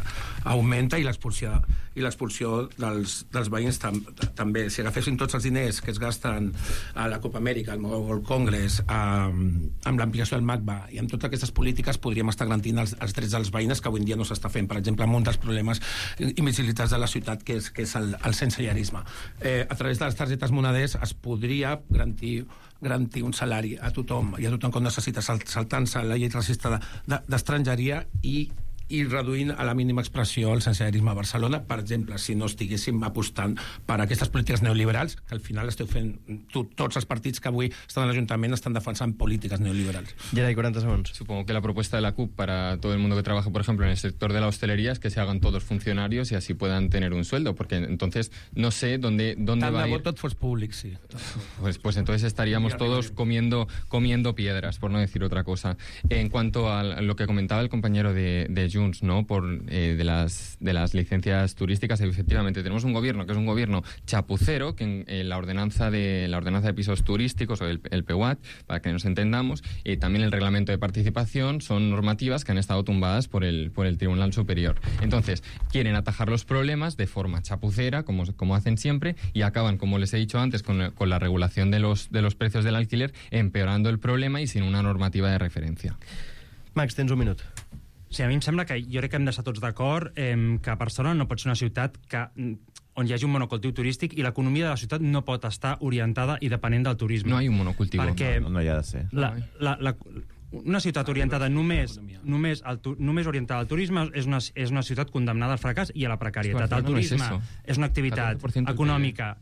augmenta i l'expulsió i l'expulsió dels, dels veïns tam, també. Si agafessin tots els diners que es gasten a la Copa Amèrica, al Mobile World Congress, a, amb l'ampliació del MACBA i amb totes aquestes polítiques, podríem estar garantint els, els drets dels veïnes que avui en dia no s'està fent. Per exemple, amb un dels problemes invisibilitats de la ciutat, que és, que és el, el sensellarisme. Eh, a través de les targetes moneders es podria garantir, garantir un salari a tothom i a tothom que necessita, saltant-se la llei racista d'estrangeria i i reduint a la mínima expressió el sensellarisme a Barcelona, per exemple, si no estiguéssim apostant per aquestes polítiques neoliberals, que al final esteu fent tu, tots els partits que avui estan a l'Ajuntament estan defensant políticas neoliberales. Gerai, cuarenta segundos. Supongo que la propuesta de la C U P para todo el mundo que trabaja, por ejemplo, en el sector de la hostelería es que se hagan todos funcionarios y así puedan tener un sueldo, porque entonces no sé dónde, dónde Tant va a ir... tot fos públic, sí. Pues, pues entonces estaríamos todos comiendo, comiendo piedras, por no decir otra cosa. En cuanto a lo que comentaba el compañero de, de Junts, ¿no? Por, eh, de, las, de las licencias turísticas, efectivamente tenemos un gobierno que es un gobierno chapucero, que en, en la ordenanza de la ordenanza de pisos turísticos, o el, el P U A T, para que nos entendamos, y también el reglamento de participación, son normativas que han estado tumbadas por el, por el Tribunal Superior. Entonces, quieren atajar los problemas de forma chapucera, como, como hacen siempre, y acaban, como les he dicho antes, con, con la regulación de los, de los precios del alquiler, empeorando el problema y sin una normativa de referencia. Max, tens un minut. Sí, a mi em sembla que jo crec que hem d'estar tots d'acord eh, que Barcelona no pot ser una ciutat que, on hi hagi un monocultiu turístic i l'economia de la ciutat no pot estar orientada i depenent del turisme. No hi ha un monocultiu. Perquè no, no hi ha de ser. La, la, la, una ciutat orientada només, només, al, només orientada al turisme és una, és una ciutat condemnada al fracàs i a la precarietat. El turisme no és, és una activitat econòmica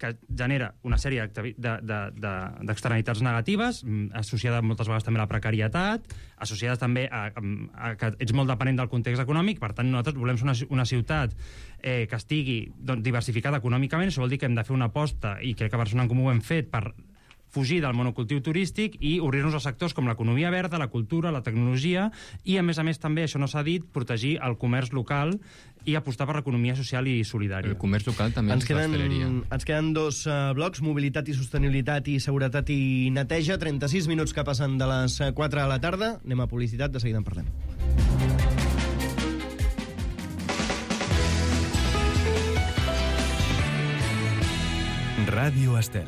que genera una sèrie d'externalitats de, de, de, negatives, associada moltes vegades també a la precarietat, associades també a, a, a que ets molt dependent del context econòmic. Per tant, nosaltres volem ser una, una ciutat eh, que estigui doncs, diversificada econòmicament. Això vol dir que hem de fer una aposta, i crec que a Barcelona en Comú ho hem fet, per fugir del monocultiu turístic i obrir-nos a sectors com l'economia verda, la cultura, la tecnologia, i a més a més també, això no s'ha dit, protegir el comerç local i apostar per l'economia social i solidària. El comerç local també ens és queden, l'hostaleria. ens queden dos uh, blocs, mobilitat i sostenibilitat i seguretat i neteja, trenta-sis minuts que passen de les quatre de la tarda. Anem a publicitat, de seguida en parlem. Ràdio Estel.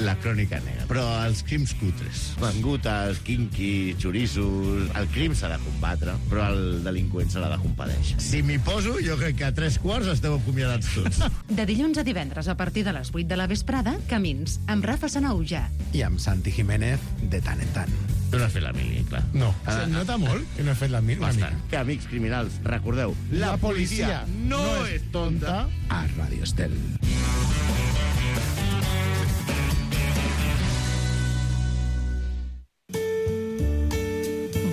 La crònica negra. Però els crims cutres, mangutes, quinqui, xorissos... El crim s'ha de combatre, però el delinqüent se l'ha de compadèixer. Si m'hi poso, jo crec que a tres quarts esteu acomiadats tots. De dilluns a divendres, a partir de les vuit de la vesprada, Camins, amb Rafa Sanauja. I amb Santi Jiménez, de tant en tant. Tu no has fet la mili, clar. No. Ah, Se nota molt que no he fet la mili. Bastant. Que, amics criminals, recordeu, la, la policia, policia no, no és tonta a Ràdio Estel.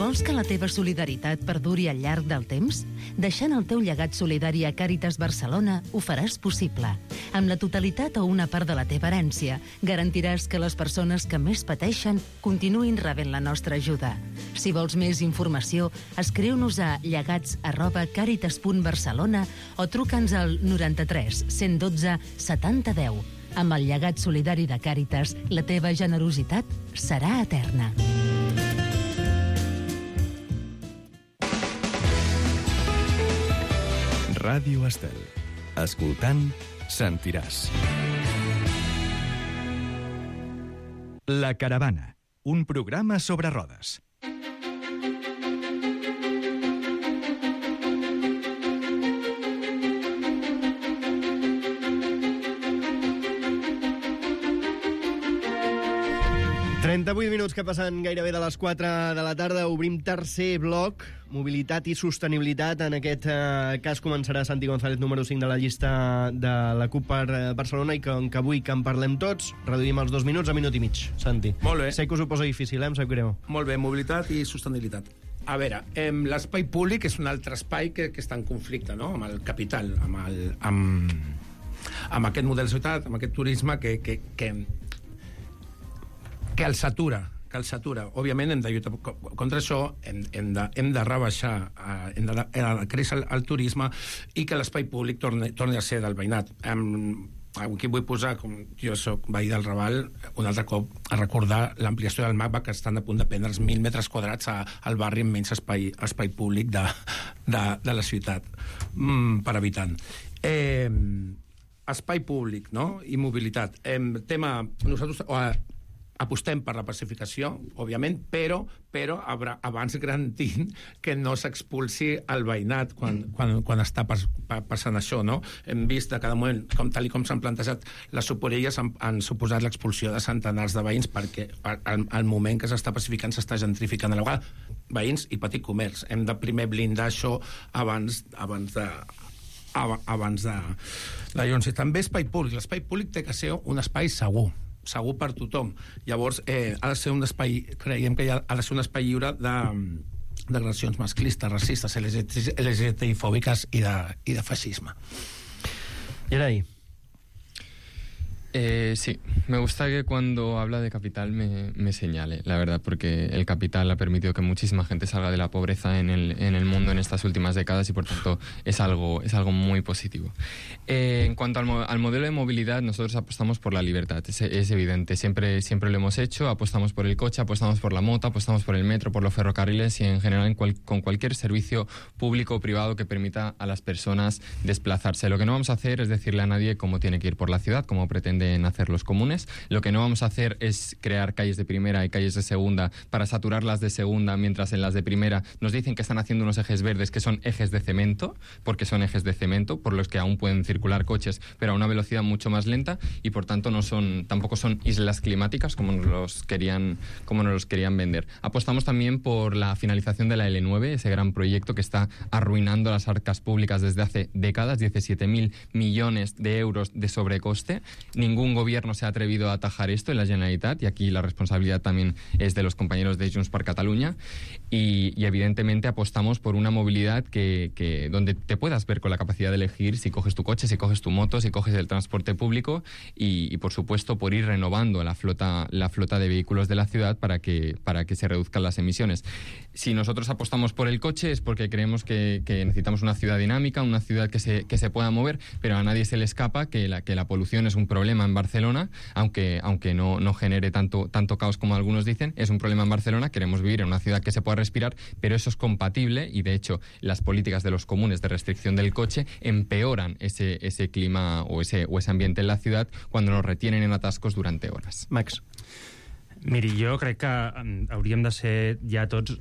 Vols que la teva solidaritat perduri al llarg del temps? Deixant el teu llegat solidari a Càritas Barcelona ho faràs possible. Amb la totalitat o una part de la teva herència, garantiràs que les persones que més pateixen continuïn rebent la nostra ajuda. Si vols més informació, escriu-nos a llegats arroba càritas punt barcelona o truca'ns al noranta-tres cent dotze setanta deu. Amb el llegat solidari de Càritas, la teva generositat serà eterna. Ràdio Estel. Escoltant, sentiràs. La Caravana, un programa sobre rodes. trenta-vuit minuts que passen gairebé de les quatre de la tarda. Obrim tercer bloc, mobilitat i sostenibilitat. En aquest eh, cas començarà Santi González, número cinc de la llista de la CUP per eh, Barcelona, i com que avui que en parlem tots, reduïm els dos minuts a minut i mig. Santi. Molt bé. Sé que us ho posa difícil, eh? Em sap greu. Molt bé, mobilitat i sostenibilitat. A veure, eh, l'espai públic és un altre espai que, que està en conflicte, no?, amb el capital, amb, el, amb, amb aquest model de ciutat, amb aquest turisme que... que, que que el satura, que el satura. Òbviament hem de lluitar contra això, hem, hem, de, hem de rebaixar, eh, hem de, de créixer el, el turisme i que l'espai públic torni, torni a ser del veïnat. Em, aquí vull posar, com jo soc veí del Raval, un altre cop a recordar l'ampliació del MACBA, que estan a punt de prendre els mil metres quadrats a, al barri amb menys espai, espai públic de, de, de la ciutat mm, per habitant. Eh, espai públic, no?, i mobilitat. Eh, tema... Nosaltres... Eh, apostem per la pacificació, òbviament, però, però abans garantint que no s'expulsi el veïnat quan, quan, quan està pas, pa, passant això, no? Hem vist a cada moment, com tal i com s'han plantejat les soporelles, han, han suposat l'expulsió de centenars de veïns perquè al, al moment que s'està pacificant s'està gentrificant a la vegada veïns i petit comerç. Hem de primer blindar això abans, abans de... abans de... de llavors, també espai públic. L'espai públic té que ser un espai segur, segur per tothom. Llavors, eh, ha de ser un espai, creiem que ha, ha de ser un espai lliure de, d'agressions masclistes, racistes, L G T I fòbiques i de, i de feixisme. I ara ahí. Eh, sí, me gusta que cuando habla de capital me, me señale, la verdad, porque el capital ha permitido que muchísima gente salga de la pobreza en el, en el mundo en estas últimas décadas y por tanto es algo, es algo muy positivo. Eh, en cuanto al, al modelo de movilidad, nosotros apostamos por la libertad, es, es evidente, siempre, siempre lo hemos hecho, apostamos por el coche, apostamos por la moto, apostamos por el metro, por los ferrocarriles y en general en cual, con cualquier servicio público o privado que permita a las personas desplazarse. Lo que no vamos a hacer es decirle a nadie cómo tiene que ir por la ciudad, como pretende en hacer los comunes. Lo que no vamos a hacer es crear calles de primera y calles de segunda para saturar las de segunda, mientras en las de primera nos dicen que están haciendo unos ejes verdes que son ejes de cemento, porque son ejes de cemento, por los que aún pueden circular coches, pero a una velocidad mucho más lenta y por tanto no son, tampoco son islas climáticas como nos los querían, como nos los querían vender. Apostamos también por la finalización de la L nueve, ese gran proyecto que está arruinando las arcas públicas desde hace décadas, diecisiete mil millones de euros de sobrecoste. Ningún gobierno se ha atrevido a atajar esto en la Generalitat y aquí la responsabilidad también es de los compañeros de Junts per Catalunya y, y evidentemente apostamos por una movilidad que, que donde te puedas ver con la capacidad de elegir si coges tu coche, si coges tu moto, si coges el transporte público y, y por supuesto por ir renovando la flota, la flota de vehículos de la ciudad para que, para que se reduzcan las emisiones. Si nosotros apostamos por el coche es porque creemos que, que necesitamos una ciudad dinámica, una ciudad que se, que se pueda mover, pero a nadie se le escapa que la, que la polución es un problema en Barcelona, aunque, aunque no, no genere tanto, tanto caos como algunos dicen, es un problema en Barcelona, queremos vivir en una ciudad que se pueda respirar, pero eso es compatible y de hecho las políticas de los comunes de restricción del coche empeoran ese, ese clima o ese, o ese ambiente en la ciudad cuando nos retienen en atascos durante horas. Max. Miri, jo crec que hauríem de ser ja tots...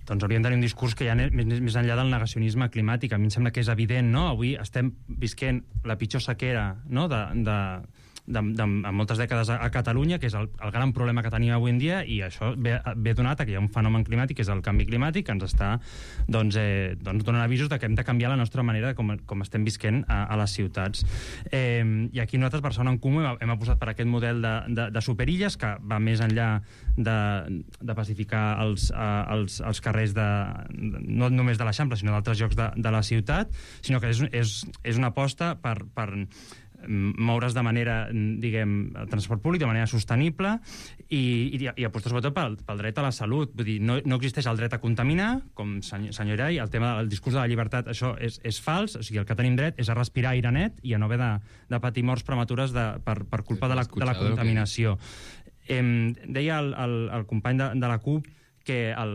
Doncs hauríem de tenir un discurs que ja més, més enllà del negacionisme climàtic. A mi em sembla que és evident, no? Avui estem visquent la pitjor sequera, no?, de, de, de, de, de moltes dècades a, a Catalunya, que és el, el gran problema que tenim avui en dia, i això ve, ve donat a que hi ha un fenomen climàtic, que és el canvi climàtic, que ens està doncs, eh, doncs donant avisos de que hem de canviar la nostra manera com, com estem visquent a, a les ciutats. Eh, I aquí nosaltres, Barcelona en Comú, hem, hem apostat per aquest model de, de, de superilles, que va més enllà de, de pacificar els, uh, els, els carrers de, no només de l'Eixample, sinó d'altres llocs de, de la ciutat, sinó que és, és, és una aposta per, per moure's de manera, diguem, el transport públic de manera sostenible i, i, i apostar sobretot pel, pel dret a la salut. Vull dir, no, no existeix el dret a contaminar, com senyor, senyor Irai, el tema del discurs de la llibertat, això és, és fals, o sigui, el que tenim dret és a respirar aire net i a no haver de, de patir morts prematures de, per, per culpa de la, de la contaminació. Eh, deia el, el, el company de, de la CUP que el,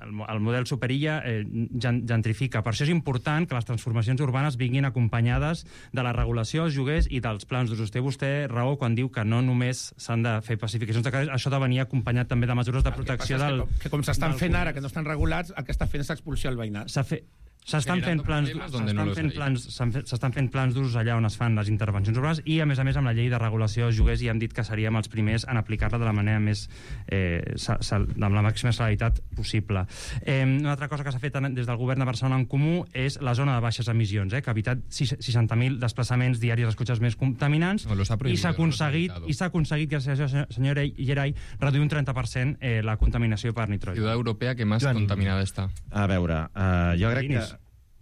el, el model superilla eh, gentrifica. Per això és important que les transformacions urbanes vinguin acompanyades de la regulació dels lloguers i dels plans d'usos. Té vostè raó quan diu que no només s'han de fer pacificacions de carrers, això ha de venir acompanyat també de mesures de protecció del... Que, que com s'estan fent ara, que no estan regulats, el que està fent és expulsió al veïnat. S'ha fet... S'estan fent plans, s'estan fent plans, s'estan fent plans d'usos allà on es fan les intervencions urbanes i, a més a més, amb la llei de regulació dels lloguers ja hem dit que seríem els primers en aplicar-la de la manera més, eh, amb la màxima celeritat possible. Eh, una altra cosa que s'ha fet des del govern de Barcelona en Comú és la zona de baixes emissions, eh, que ha evitat seixanta mil desplaçaments diaris dels cotxes més contaminants no, i s'ha aconseguit, i s'ha aconseguit, gràcies a això, senyor Gerai, reduir un trenta per cent eh, la contaminació per nitrogen. Ciutat europea que més Joan. Contaminada està. A veure, uh, jo crec que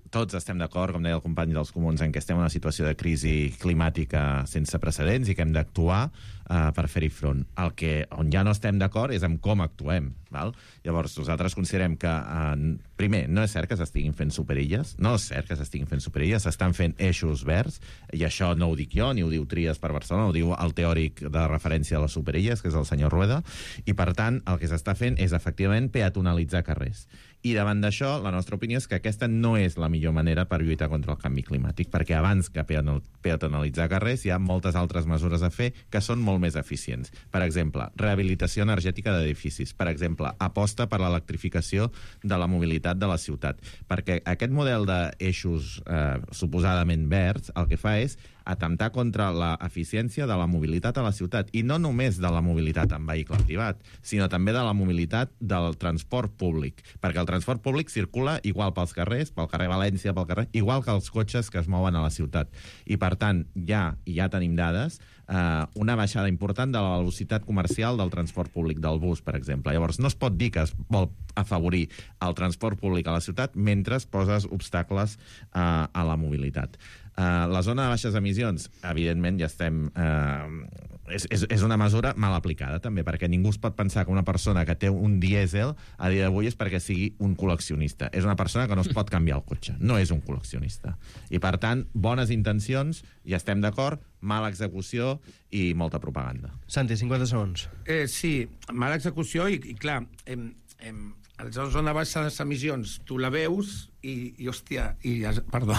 tots estem d'acord, com deia el company dels comuns, en què estem en una situació de crisi climàtica sense precedents i que hem d'actuar uh, per fer-hi front. El que, on ja no estem d'acord és amb com actuem. Val? Llavors, nosaltres considerem que, uh, primer, no és cert que s'estiguin fent superilles, no és cert que s'estiguin fent superilles, s'estan fent eixos verds, i això no ho dic jo, ni ho diu Tries per Barcelona, ho diu el teòric de referència a les superilles, que és el senyor Rueda, i per tant, el que s'està fent és, efectivament, peatonalitzar carrers. I davant d'això, la nostra opinió és que aquesta no és la millor manera per lluitar contra el canvi climàtic, perquè abans que peatonalitzar carrers hi ha moltes altres mesures a fer que són molt més eficients. Per exemple, rehabilitació energètica d'edificis. Per exemple, aposta per l'electrificació de la mobilitat de la ciutat. Perquè aquest model d'eixos eh, suposadament verds el que fa és atemptar contra l'eficiència de la mobilitat a la ciutat. I no només de la mobilitat en vehicle privat, sinó també de la mobilitat del transport públic. Perquè el transport públic circula igual pels carrers, pel carrer València, pel carrer, igual que els cotxes que es mouen a la ciutat. I, per tant, ja, i ja tenim dades, eh, una baixada important de la velocitat comercial del transport públic, del bus, per exemple. Llavors, no es pot dir que es vol afavorir el transport públic a la ciutat mentre poses obstacles eh, a la mobilitat. Uh, la zona de baixes emissions, evidentment, ja estem... Uh, és, és, és una mesura mal aplicada, també, perquè ningú es pot pensar que una persona que té un dièsel a dia d'avui és perquè sigui un col·leccionista. És una persona que no es pot canviar el cotxe. No és un col·leccionista. I, per tant, bones intencions, ja estem d'acord, mala execució i molta propaganda. Santi, cinquanta segons. Eh, sí, mala execució i, i clar, em, em, a la zona de baixes emissions tu la veus i, i hòstia, i es, perdó,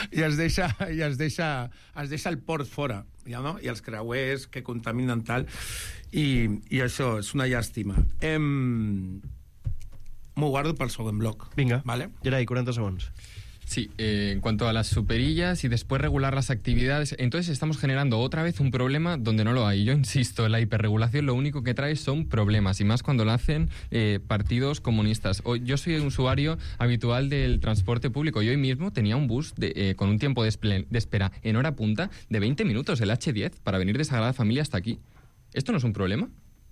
i es deixa, i es deixa, es deixa el port fora, ja, no? I els creuers que contaminen tal, i, i això és una llàstima. Em... M'ho guardo pel segon bloc. Vinga, ¿vale? Gerai, quaranta segons. Sí, eh, en cuanto a las superillas y después regular las actividades, entonces estamos generando otra vez un problema donde no lo hay. Yo insisto, la hiperregulación lo único que trae son problemas, y más cuando lo hacen eh, partidos comunistas. Hoy, yo soy un usuario habitual del transporte público y hoy mismo tenía un bus de, eh, con un tiempo de, de espera en hora punta de veinte minutos, el hache diez, para venir de Sagrada Familia hasta aquí. ¿Esto no es un problema?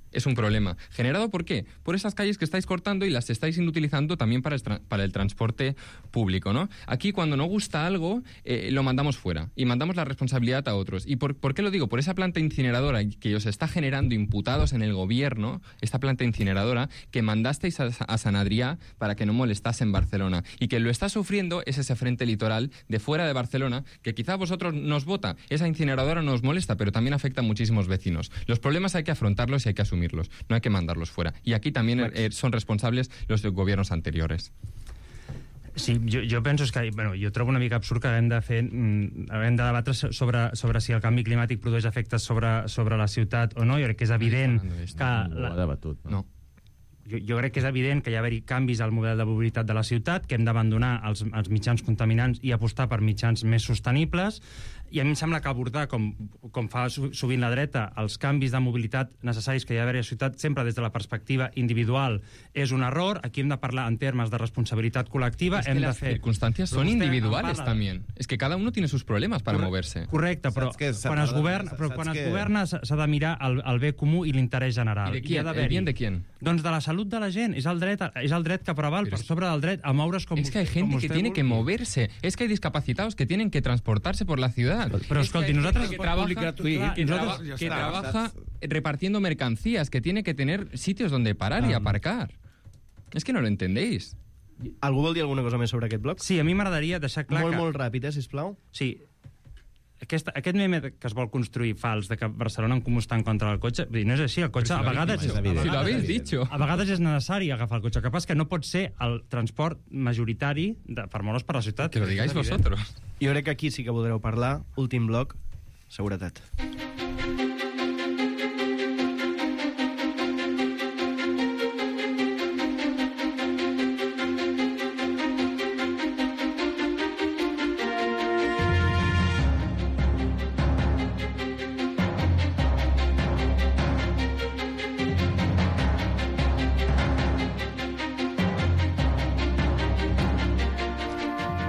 Es un problema. ¿Generado por qué? Por esas calles que estáis cortando y las estáis inutilizando también para el, para el transporte público, ¿no? Aquí, cuando no gusta algo, eh, lo mandamos fuera y mandamos la responsabilidad a otros. ¿Y por, por qué lo digo? Por esa planta incineradora que os está generando imputados en el gobierno, esta planta incineradora que mandasteis a, a San Adrià para que no molestase en Barcelona. Y que lo está sufriendo es ese frente litoral de fuera de Barcelona, que quizá a vosotros nos vota. Esa incineradora nos molesta, pero también afecta a muchísimos vecinos. Los problemas hay que afrontarlos y hay que asumirlos. No hay que mandarlos fuera. Y aquí también eh, son responsables los gobiernos anteriores. Sí, jo, jo penso que... Bueno, jo trobo una mica absurd que haguem de fer... Haguem de debatre sobre, sobre si el canvi climàtic produeix efectes sobre, sobre la ciutat o no. Jo crec que és evident que... No ho ha debatut, no? No. jo, jo crec que és evident que hi ha d'haver canvis al model de mobilitat de la ciutat, que hem d'abandonar els, els mitjans contaminants i apostar per mitjans més sostenibles, i a mi em sembla que abordar, com, com fa sovint la dreta, els canvis de mobilitat necessaris que hi ha d'haver a la ciutat, sempre des de la perspectiva individual, és un error. Aquí hem de parlar en termes de responsabilitat col·lectiva. Es hem que de las fer... circunstancias son individuales también. Es que cada uno tiene sus problemas para Corre moverse. Correcte, però quan es governa, però quan es governa s'ha de mirar el, el bé comú i l'interès general. I de quién? ¿El bien de quién? Doncs de la salut de la gent. És el dret, és el dret que preval per sobre del dret a moure's com Es que hay gente que tiene que moverse. Es que hay discapacitados que tienen que transportarse por la ciudad. Però escolti, nosaltres... Que trabaja, que trabaja, que trabaja repartiendo mercancías, que tiene que tener sitios donde parar y aparcar. Es que no lo entendéis. Algú vol dir alguna cosa més sobre aquest bloc? Sí, a mi m'agradaria deixar clar molt, que... Molt, molt ràpid, eh, sisplau. Sí. Aquest, aquest meme que es vol construir fals de que Barcelona en comú està en contra del cotxe, no és així, el cotxe a vegades, és, a vegades, si lo habéis dicho. a vegades és necessari agafar el cotxe, que pas que no pot ser el transport majoritari de, per moure's per la ciutat. Que lo digáis vosotros. Jo crec que aquí sí que podreu parlar. Últim bloc, seguretat.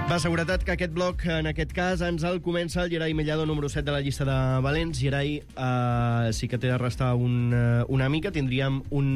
Va, seguretat, que aquest bloc, en aquest cas, ens el comença el Gerai Mellado, número set de la llista de Valents. Gerai, eh, sí que té de restar un, uh, una mica. Tindríem un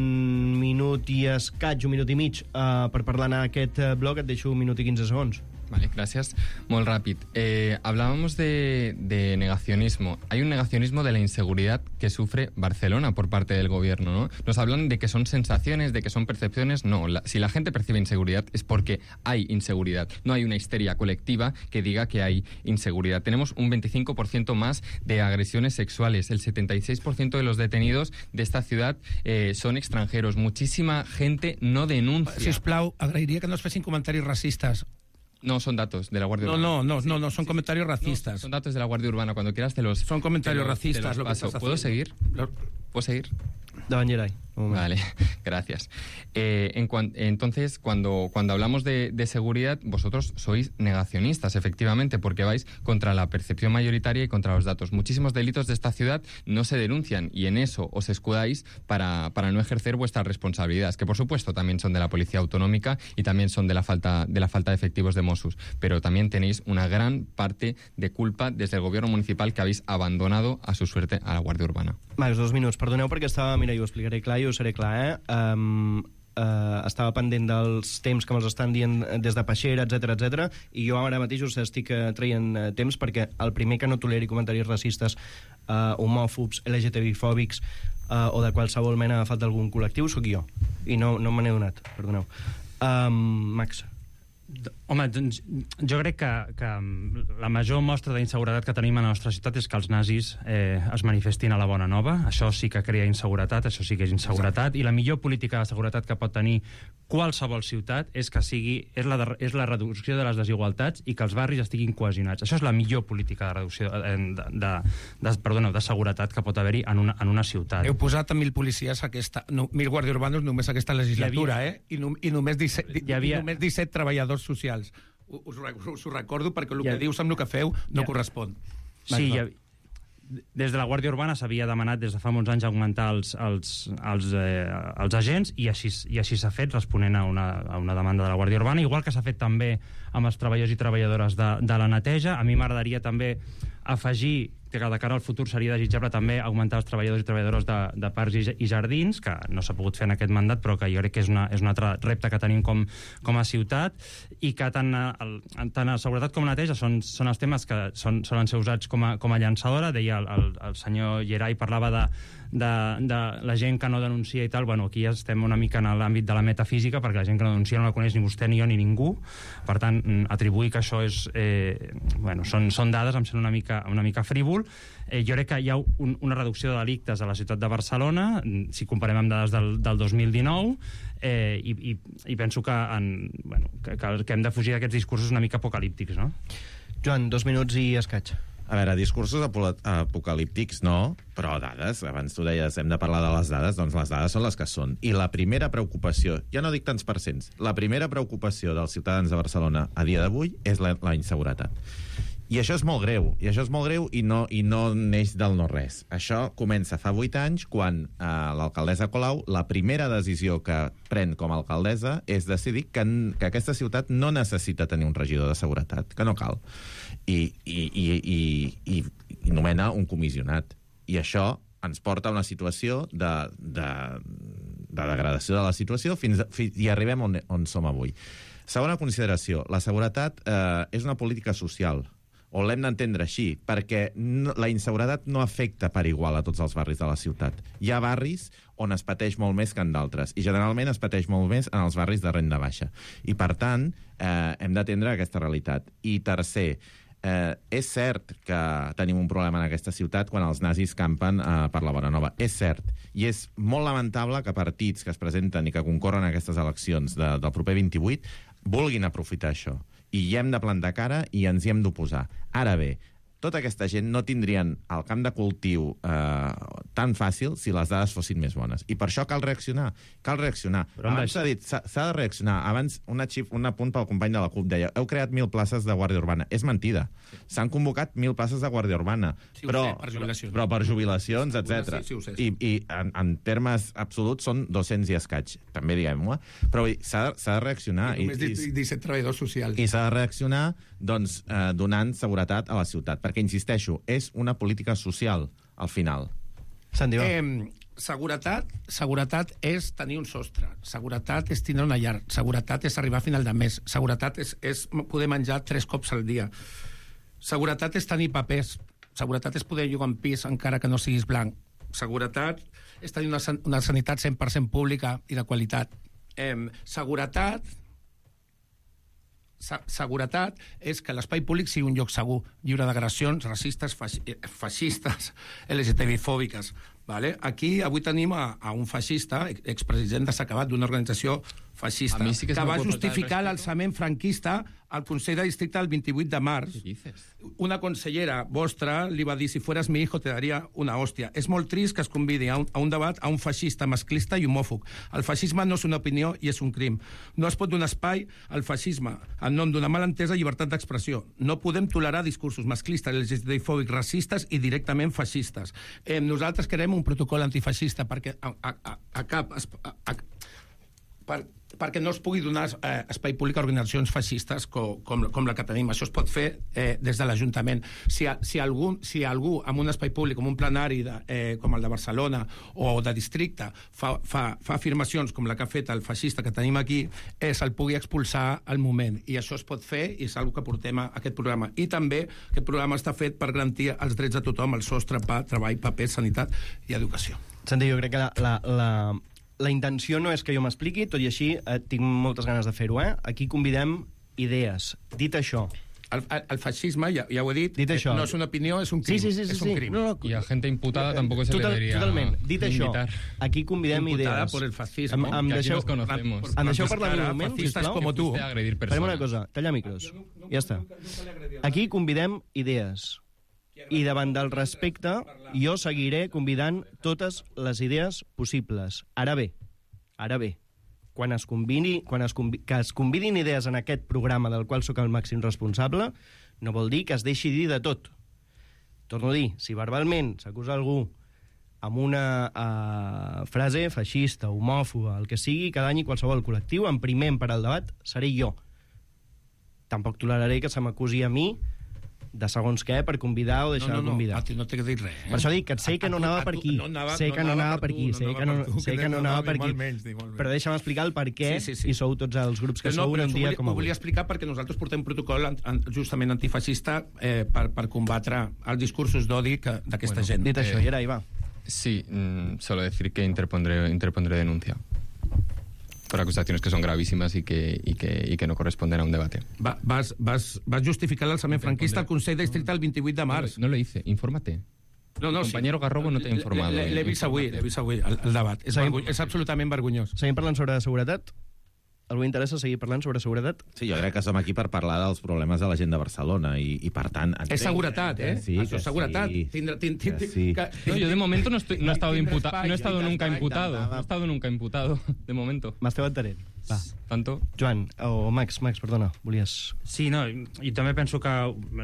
minut i escaig, un minut i mig, eh, per parlar en aquest bloc. Et deixo un minut i quinze segons. Vale, gracias. Muy rápido. Eh, hablábamos de, de negacionismo. Hay un negacionismo de la inseguridad que sufre Barcelona por parte del gobierno, ¿no? Nos hablan de que son sensaciones, de que son percepciones. No, la, si la gente percibe inseguridad es porque hay inseguridad. No hay una histeria colectiva que diga que hay inseguridad. Tenemos un veinticinco por ciento más de agresiones sexuales. El setenta y seis por ciento de los detenidos de esta ciudad eh, son extranjeros. Muchísima gente no denuncia. Sisplau, agrairia que no es fessin comentaris racistes. No, son datos de la Guardia no, Urbana. No, no, no, no, son comentarios racistas. No, son datos de la Guardia Urbana. Cuando quieras te los... Son comentarios te los, racistas. Te los lo que paso. estás ¿Puedo haciendo. seguir? ¿Puedo seguir? Davant, Gerai. Vale, gracias. Eh, en cuan, entonces, cuando, cuando hablamos de, de seguridad, vosotros sois negacionistas, efectivamente, porque vais contra la percepción mayoritaria y contra los datos. Muchísimos delitos de esta ciudad no se denuncian y en eso os escudáis para, para no ejercer vuestras responsabilidades, que por supuesto también son de la Policía Autonómica y también son de la falta de la falta de efectivos de Mossos, pero también tenéis una gran parte de culpa desde el gobierno municipal que habéis abandonado a su suerte a la Guardia Urbana. Max, dos minuts. Perdoneu perquè estava... Mira, jo ho explicaré clar i ho seré clar, eh? Um, uh, estava pendent dels temps que me'ls estan dient des de Peixera, etc etc. I jo ara mateix us estic uh, traient uh, temps perquè el primer que no toleri comentaris racistes, uh, homòfobs, L G T B-fòbics uh, o de qualsevol mena de falta d'algun col·lectiu sóc jo. I no, no me n'he donat, perdoneu. Um, Max. Home, doncs, jo crec que, que la major mostra d'inseguretat que tenim a la nostra ciutat és que els nazis eh, es manifestin a la Bona Nova. Això sí que crea inseguretat, això sí que és inseguretat. I la millor política de seguretat que pot tenir qualsevol ciutat és que sigui és la, de, és la reducció de les desigualtats i que els barris estiguin cohesionats. Això és la millor política de reducció de, de, de, de, perdona, de seguretat que pot haver-hi en una, en una ciutat. Heu posat a mil policies aquesta, no, mil guàrdies urbanos només aquesta legislatura, havia, eh? I, no, i, només disset, hi havia, i només disset treballadors socials. Us, us ho recordo perquè el que ha, dius amb el que feu no ha, correspon. Sí, ha, des de la Guàrdia Urbana s'havia demanat des de fa molts anys augmentar els, els, els, eh, els agents i així, i així s'ha fet responent a una, a una demanda de la Guàrdia Urbana, igual que s'ha fet també amb els treballadors i treballadores de, de la neteja. A mi m'agradaria també afegir que de cara al futur seria desitjable també augmentar els treballadors i treballadores de, de parcs i, i jardins, que no s'ha pogut fer en aquest mandat, però que jo crec que és, una, és un altre repte que tenim com, com a ciutat, i que tant, el, tant a seguretat com a neteja són, són els temes que són, solen ser usats com a, com a llançadora. Deia el, el, el senyor Gerai, parlava de, de, de la gent que no denuncia i tal. Bueno, aquí ja estem una mica en l'àmbit de la metafísica, perquè la gent que no denuncia no la coneix ni vostè, ni jo, ni ningú. Per tant, atribuir que això és... Eh, bueno, són, són dades, em sembla una mica, una mica frívol. Eh, jo crec que hi ha un, una reducció de delictes a la ciutat de Barcelona, si comparem amb dades del, del dos mil dinou, eh, i, i, i penso que, en, bueno, que, que hem de fugir d'aquests discursos una mica apocalíptics, no? Joan, dos minuts i escaig. A veure, discursos apocalíptics no, però dades, abans tu deies, hem de parlar de les dades, doncs les dades són les que són. I la primera preocupació, ja no dic tants percents, la primera preocupació dels ciutadans de Barcelona a dia d'avui és la, la inseguretat. I això és molt greu, i això és molt greu i no, i no neix del no-res. Això comença fa vuit anys, quan eh, l'alcaldessa Colau, la primera decisió que pren com a alcaldessa és decidir que, que aquesta ciutat no necessita tenir un regidor de seguretat, que no cal. I, i, i, i, i, i nomena un comissionat. I això ens porta a una situació de, de, de degradació de la situació fins, fins i arribem on, on som avui. Segona consideració, la seguretat eh, és una política social, o l'hem d'entendre així, perquè no, la inseguretat no afecta per igual a tots els barris de la ciutat. Hi ha barris on es pateix molt més que en d'altres, i generalment es pateix molt més en els barris de renda baixa. I, per tant, eh, hem d'atendre aquesta realitat. I tercer, eh, és cert que tenim un problema en aquesta ciutat quan els nazis campen eh, per la Bonanova. És cert. I és molt lamentable que partits que es presenten i que concorren a aquestes eleccions de, del proper vint-i-vuit vulguin aprofitar això. I hi hem de plantar cara i ens hi hem d'oposar. Ara bé, tota aquesta gent no tindrien el camp de cultiu eh, tan fàcil si les dades fossin més bones. I per això cal reaccionar. Cal reaccionar. Però abans s'ha dit, s'ha de reaccionar. Abans, una xif, un apunt pel company de la CUP deia, heu creat mil places de Guàrdia Urbana. És mentida. S'han convocat mil places de Guàrdia Urbana. Sí, però, sé, per jubilacions. Però per jubilacions, etcètera. Sí, sí, ho sé. I, i en, en termes absoluts són dos-cents i escaig. També diguem-ho. Eh? Però s'ha de reaccionar. I només disset treballadors socials. I s'ha de reaccionar doncs, eh, donant seguretat a la ciutat. Perquè, insisteixo, és una política social, al final. Santi, va. Eh, seguretat, seguretat és tenir un sostre. Seguretat és tindre una llar. Seguretat és arribar a final de mes. Seguretat és, és poder menjar tres cops al dia. Seguretat és tenir papers. Seguretat és poder llogar un pis encara que no siguis blanc. Seguretat és tenir una, una sanitat cent per cent pública i de qualitat. Eh, seguretat... Seguretat és que l'espai públic sigui un lloc segur, lliure d'agressions racistes, feixistes, L G T B-fòbiques. Vale? Aquí avui tenim a, a un feixista, expresident desacabat d'una organització feixista, sí que, que va justificar l'alçament franquista al Consell de Districte el vint-i-vuit de març. Una consellera vostra li va dir, si fueras mi hijo te daría una hòstia. És molt trist que es convidi a un, a un debat a un feixista masclista i homòfob. El feixisme no és una opinió i és un crim. No es pot donar espai al feixisme en nom d'una malentesa llibertat d'expressió. No podem tolerar discursos masclistes, L G T B-fòbics, racistes i directament feixistes. Eh, nosaltres querem un protocol antifeixista perquè a, a, a, a cap... A, a, per, perquè no es pugui donar eh, espai públic a organitzacions feixistes com, com, com la que tenim. Això es pot fer eh, des de l'Ajuntament. Si, si, algú, si algú amb un espai públic, com un plenari de, eh, com el de Barcelona o de districte, fa, fa, fa afirmacions com la que ha fet el feixista que tenim aquí, eh, se'l pugui expulsar al moment. I això es pot fer i és una que portem a aquest programa. I també aquest programa està fet per garantir els drets de tothom, el sostre, pa, treball, paper, sanitat i educació. Santi, jo crec que la... la, la... La intenció no és que jo m'expliqui, tot i així eh, tinc moltes ganes de fer-ho, eh? Aquí convidem idees. Dit això... El, el, el feixisme, ja, ja ho he dit, dit això, no és una opinió, és un crim. Sí, sí, sí, és sí, un crim. No, no, y a gente imputada tampoco se total, le debería totalment. Dit invitar. Això, aquí convidem imputada idees. por el fascismo, em, em que aquí deixeu, nos conocemos. em deixeu parlar un moment, fascistes sisplau? como tu. Farem una cosa, tallar micros. Ja està. Aquí convidem idees. I davant del respecte, jo seguiré convidant totes les idees possibles. Ara bé, Ara bé, quan es combini, quan es convi, que es convidin idees en aquest programa del qual sóc el màxim responsable, no vol dir que es deixi dir de tot. Torno a dir, si verbalment s'acusa algú amb una uh, frase feixista, homòfoba, el que sigui, cada any i qualsevol col·lectiu, en primer per al debat seré jo. Tampoc toleraré que se m'acusi a mi de segons què per convidar o deixar no, no, de convidar. No, no t'he dit res. Eh? Per això dic que sé que no anava per aquí. No anava, sé que no anava per aquí. Sé que no, sé que no anava per aquí. Menys, menys. Però deixa'm explicar el per què sí, sí, sí. i sou tots els grups que no, sou un dia volia, com avui. Ho volia explicar perquè nosaltres portem un protocol an, an, justament antifeixista eh, per, per combatre els discursos d'odi d'aquesta bueno, gent. Dit això, eh, i ara hi va. Sí, mm, solo decir que interpondré, interpondré denuncia por acusaciones que son gravísimas y que, y que, y que no corresponden a un debate. Va, vas, vas, vas justificar l'alçament franquista al Consell de Districte el vint-i-vuit de març. No, no lo hice, infórmate. No, no, el compañero sí. Garrobo no t'ha informat. L'he vist avui, l'he vist avui, el, el debat. És, vergony, és absolutament vergonyós. Seguim parlant sobre seguretat? Algú interessa seguir parlant sobre seguretat? Sí, jo crec que som aquí per parlar dels problemes de la gent de Barcelona i, i per tant... Entenc, és seguretat, eh? Sí, Això és seguretat. Sí. Tindrà, tind, tind, que sí. que, No, yo de momento no, estoy, no he estado, Tindrà imputa, espai, no he estado tindrà nunca espai, imputado. intentava. No he estado nunca imputado, de momento. M'esteu entenent? Va. Tanto. Joan, o Max, Max, perdona, volies... Sí, no, i, i també penso que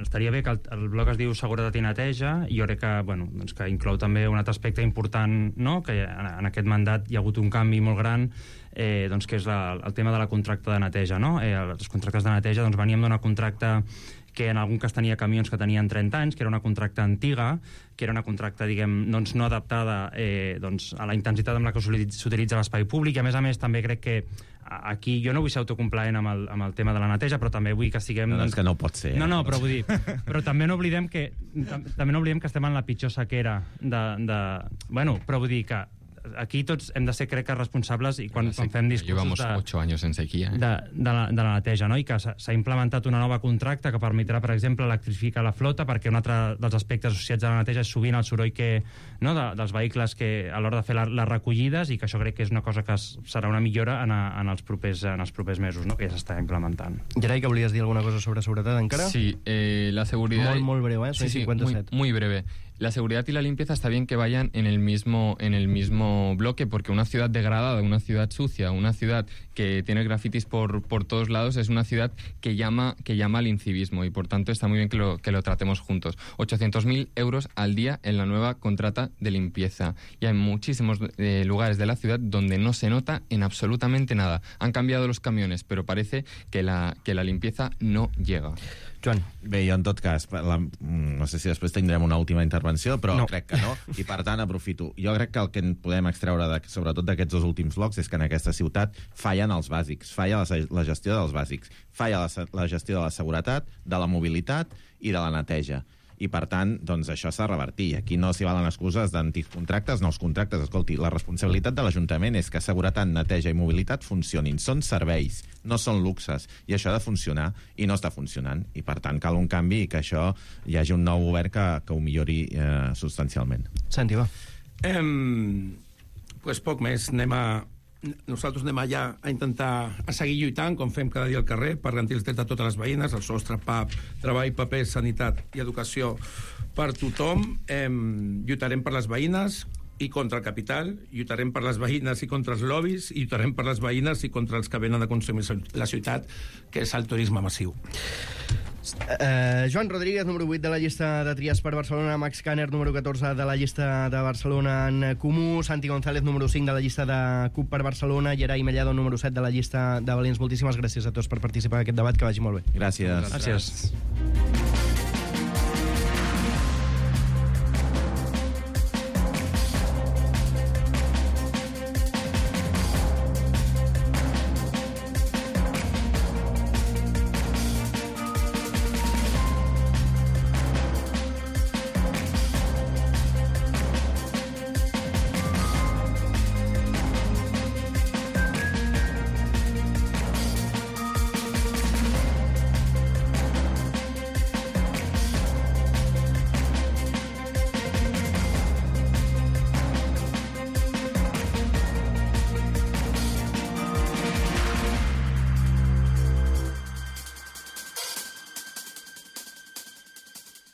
estaria bé que el, el blog es diu Seguretat i Neteja, i jo crec que, bueno, doncs que inclou també un altre aspecte important, no?, que en, en aquest mandat hi ha hagut un canvi molt gran, eh, doncs que és la, el tema de la contracta de neteja, no? Eh, els contractes de neteja, doncs veníem d'una contracta que en algun cas tenia camions que tenien trenta anys, que era una contracta antiga, que era una contracta, diguem, doncs no adaptada eh, doncs, a la intensitat amb la que s'utilitza l'espai públic, i a més a més també crec que aquí jo no vull ser autocomplaent amb el, amb el tema de la neteja, però també vull que siguem... No, doncs... és que no pot ser. No, no, però vull dir... Però també no oblidem que també no oblidem que estem en la pitjor sequera de... de... Bueno, però vull dir que aquí tots hem de ser, crec que, responsables i quan, quan fem discursos Llevamos de, ocho años en sequía. Eh? de, de, la, de la neteja, no? I que s'ha implementat una nova contracta que permetrà, per exemple, electrificar la flota, perquè un altre dels aspectes associats a la neteja és sovint el soroll que, no, de, dels vehicles que a l'hora de fer la, les recollides, i que això crec que és una cosa que es, serà una millora en, a, en, els propers, en els propers mesos, no?, que ja s'està implementant. Gerai, que volies dir alguna cosa sobre seguretat encara? Sí, eh, la seguridad... Molt, molt breu, ¿eh? Soy sí, sí, cincuenta-siete. muy, muy breve. La seguridad y la limpieza está bien que vayan en el mismo en el mismo bloque, porque una ciudad degradada, una ciudad sucia, una ciudad que tiene grafitis por, por todos lados es una ciudad que llama que llama al incivismo, y por tanto está muy bien que lo, que lo tratemos juntos. ochocientos mil euros al día en la nueva contrata de limpieza. Y hay muchísimos eh, lugares de la ciudad donde no se nota en absolutamente nada. Han cambiado los camiones, pero parece que la, que la limpieza no llega. Joan. Bé, jo en tot cas, la, no sé si després tindrem una última intervenció, però no. crec que no, i per tant aprofito. Jo crec que el que en podem extreure, de, sobretot d'aquests dos últims blocs, és que en aquesta ciutat fallen els bàsics, falla la, la gestió dels bàsics, falla la, la gestió de la seguretat, de la mobilitat i de la neteja. I, per tant, doncs, això s'ha de revertir. Aquí no s'hi valen excuses d'antics contractes, nous contractes. Escolti, la responsabilitat de l'Ajuntament és que seguretat, neteja i mobilitat funcionin. Són serveis, no són luxes. I això ha de funcionar, i no està funcionant. I, per tant, cal un canvi i que això hi hagi un nou govern que, que ho millori eh, substancialment. Santi, va. Eh, pues poc més. Anem a... Nosaltres anem allà a intentar a seguir lluitant, com fem cada dia al carrer, per garantir els drets de totes les veïnes, el sostre, P A P, treball, paper, sanitat i educació per tothom. Eh, lluitarem per les veïnes i contra el capital, lluitarem per les veïnes i contra els lobbies, i lluitarem per les veïnes i contra els que venen a consumir la ciutat, que és el turisme massiu. Uh, Joan Rodríguez, número vuit de la llista de Trias per Barcelona, Max Kanner, número catorze de la llista de Barcelona en Comú, Santi González, número cinc de la llista de C U P per Barcelona, Gerai Mellado, número set de la llista de Valents. Moltíssimes gràcies a tots per participar en aquest debat, que vagi molt bé. Gràcies. Gràcies.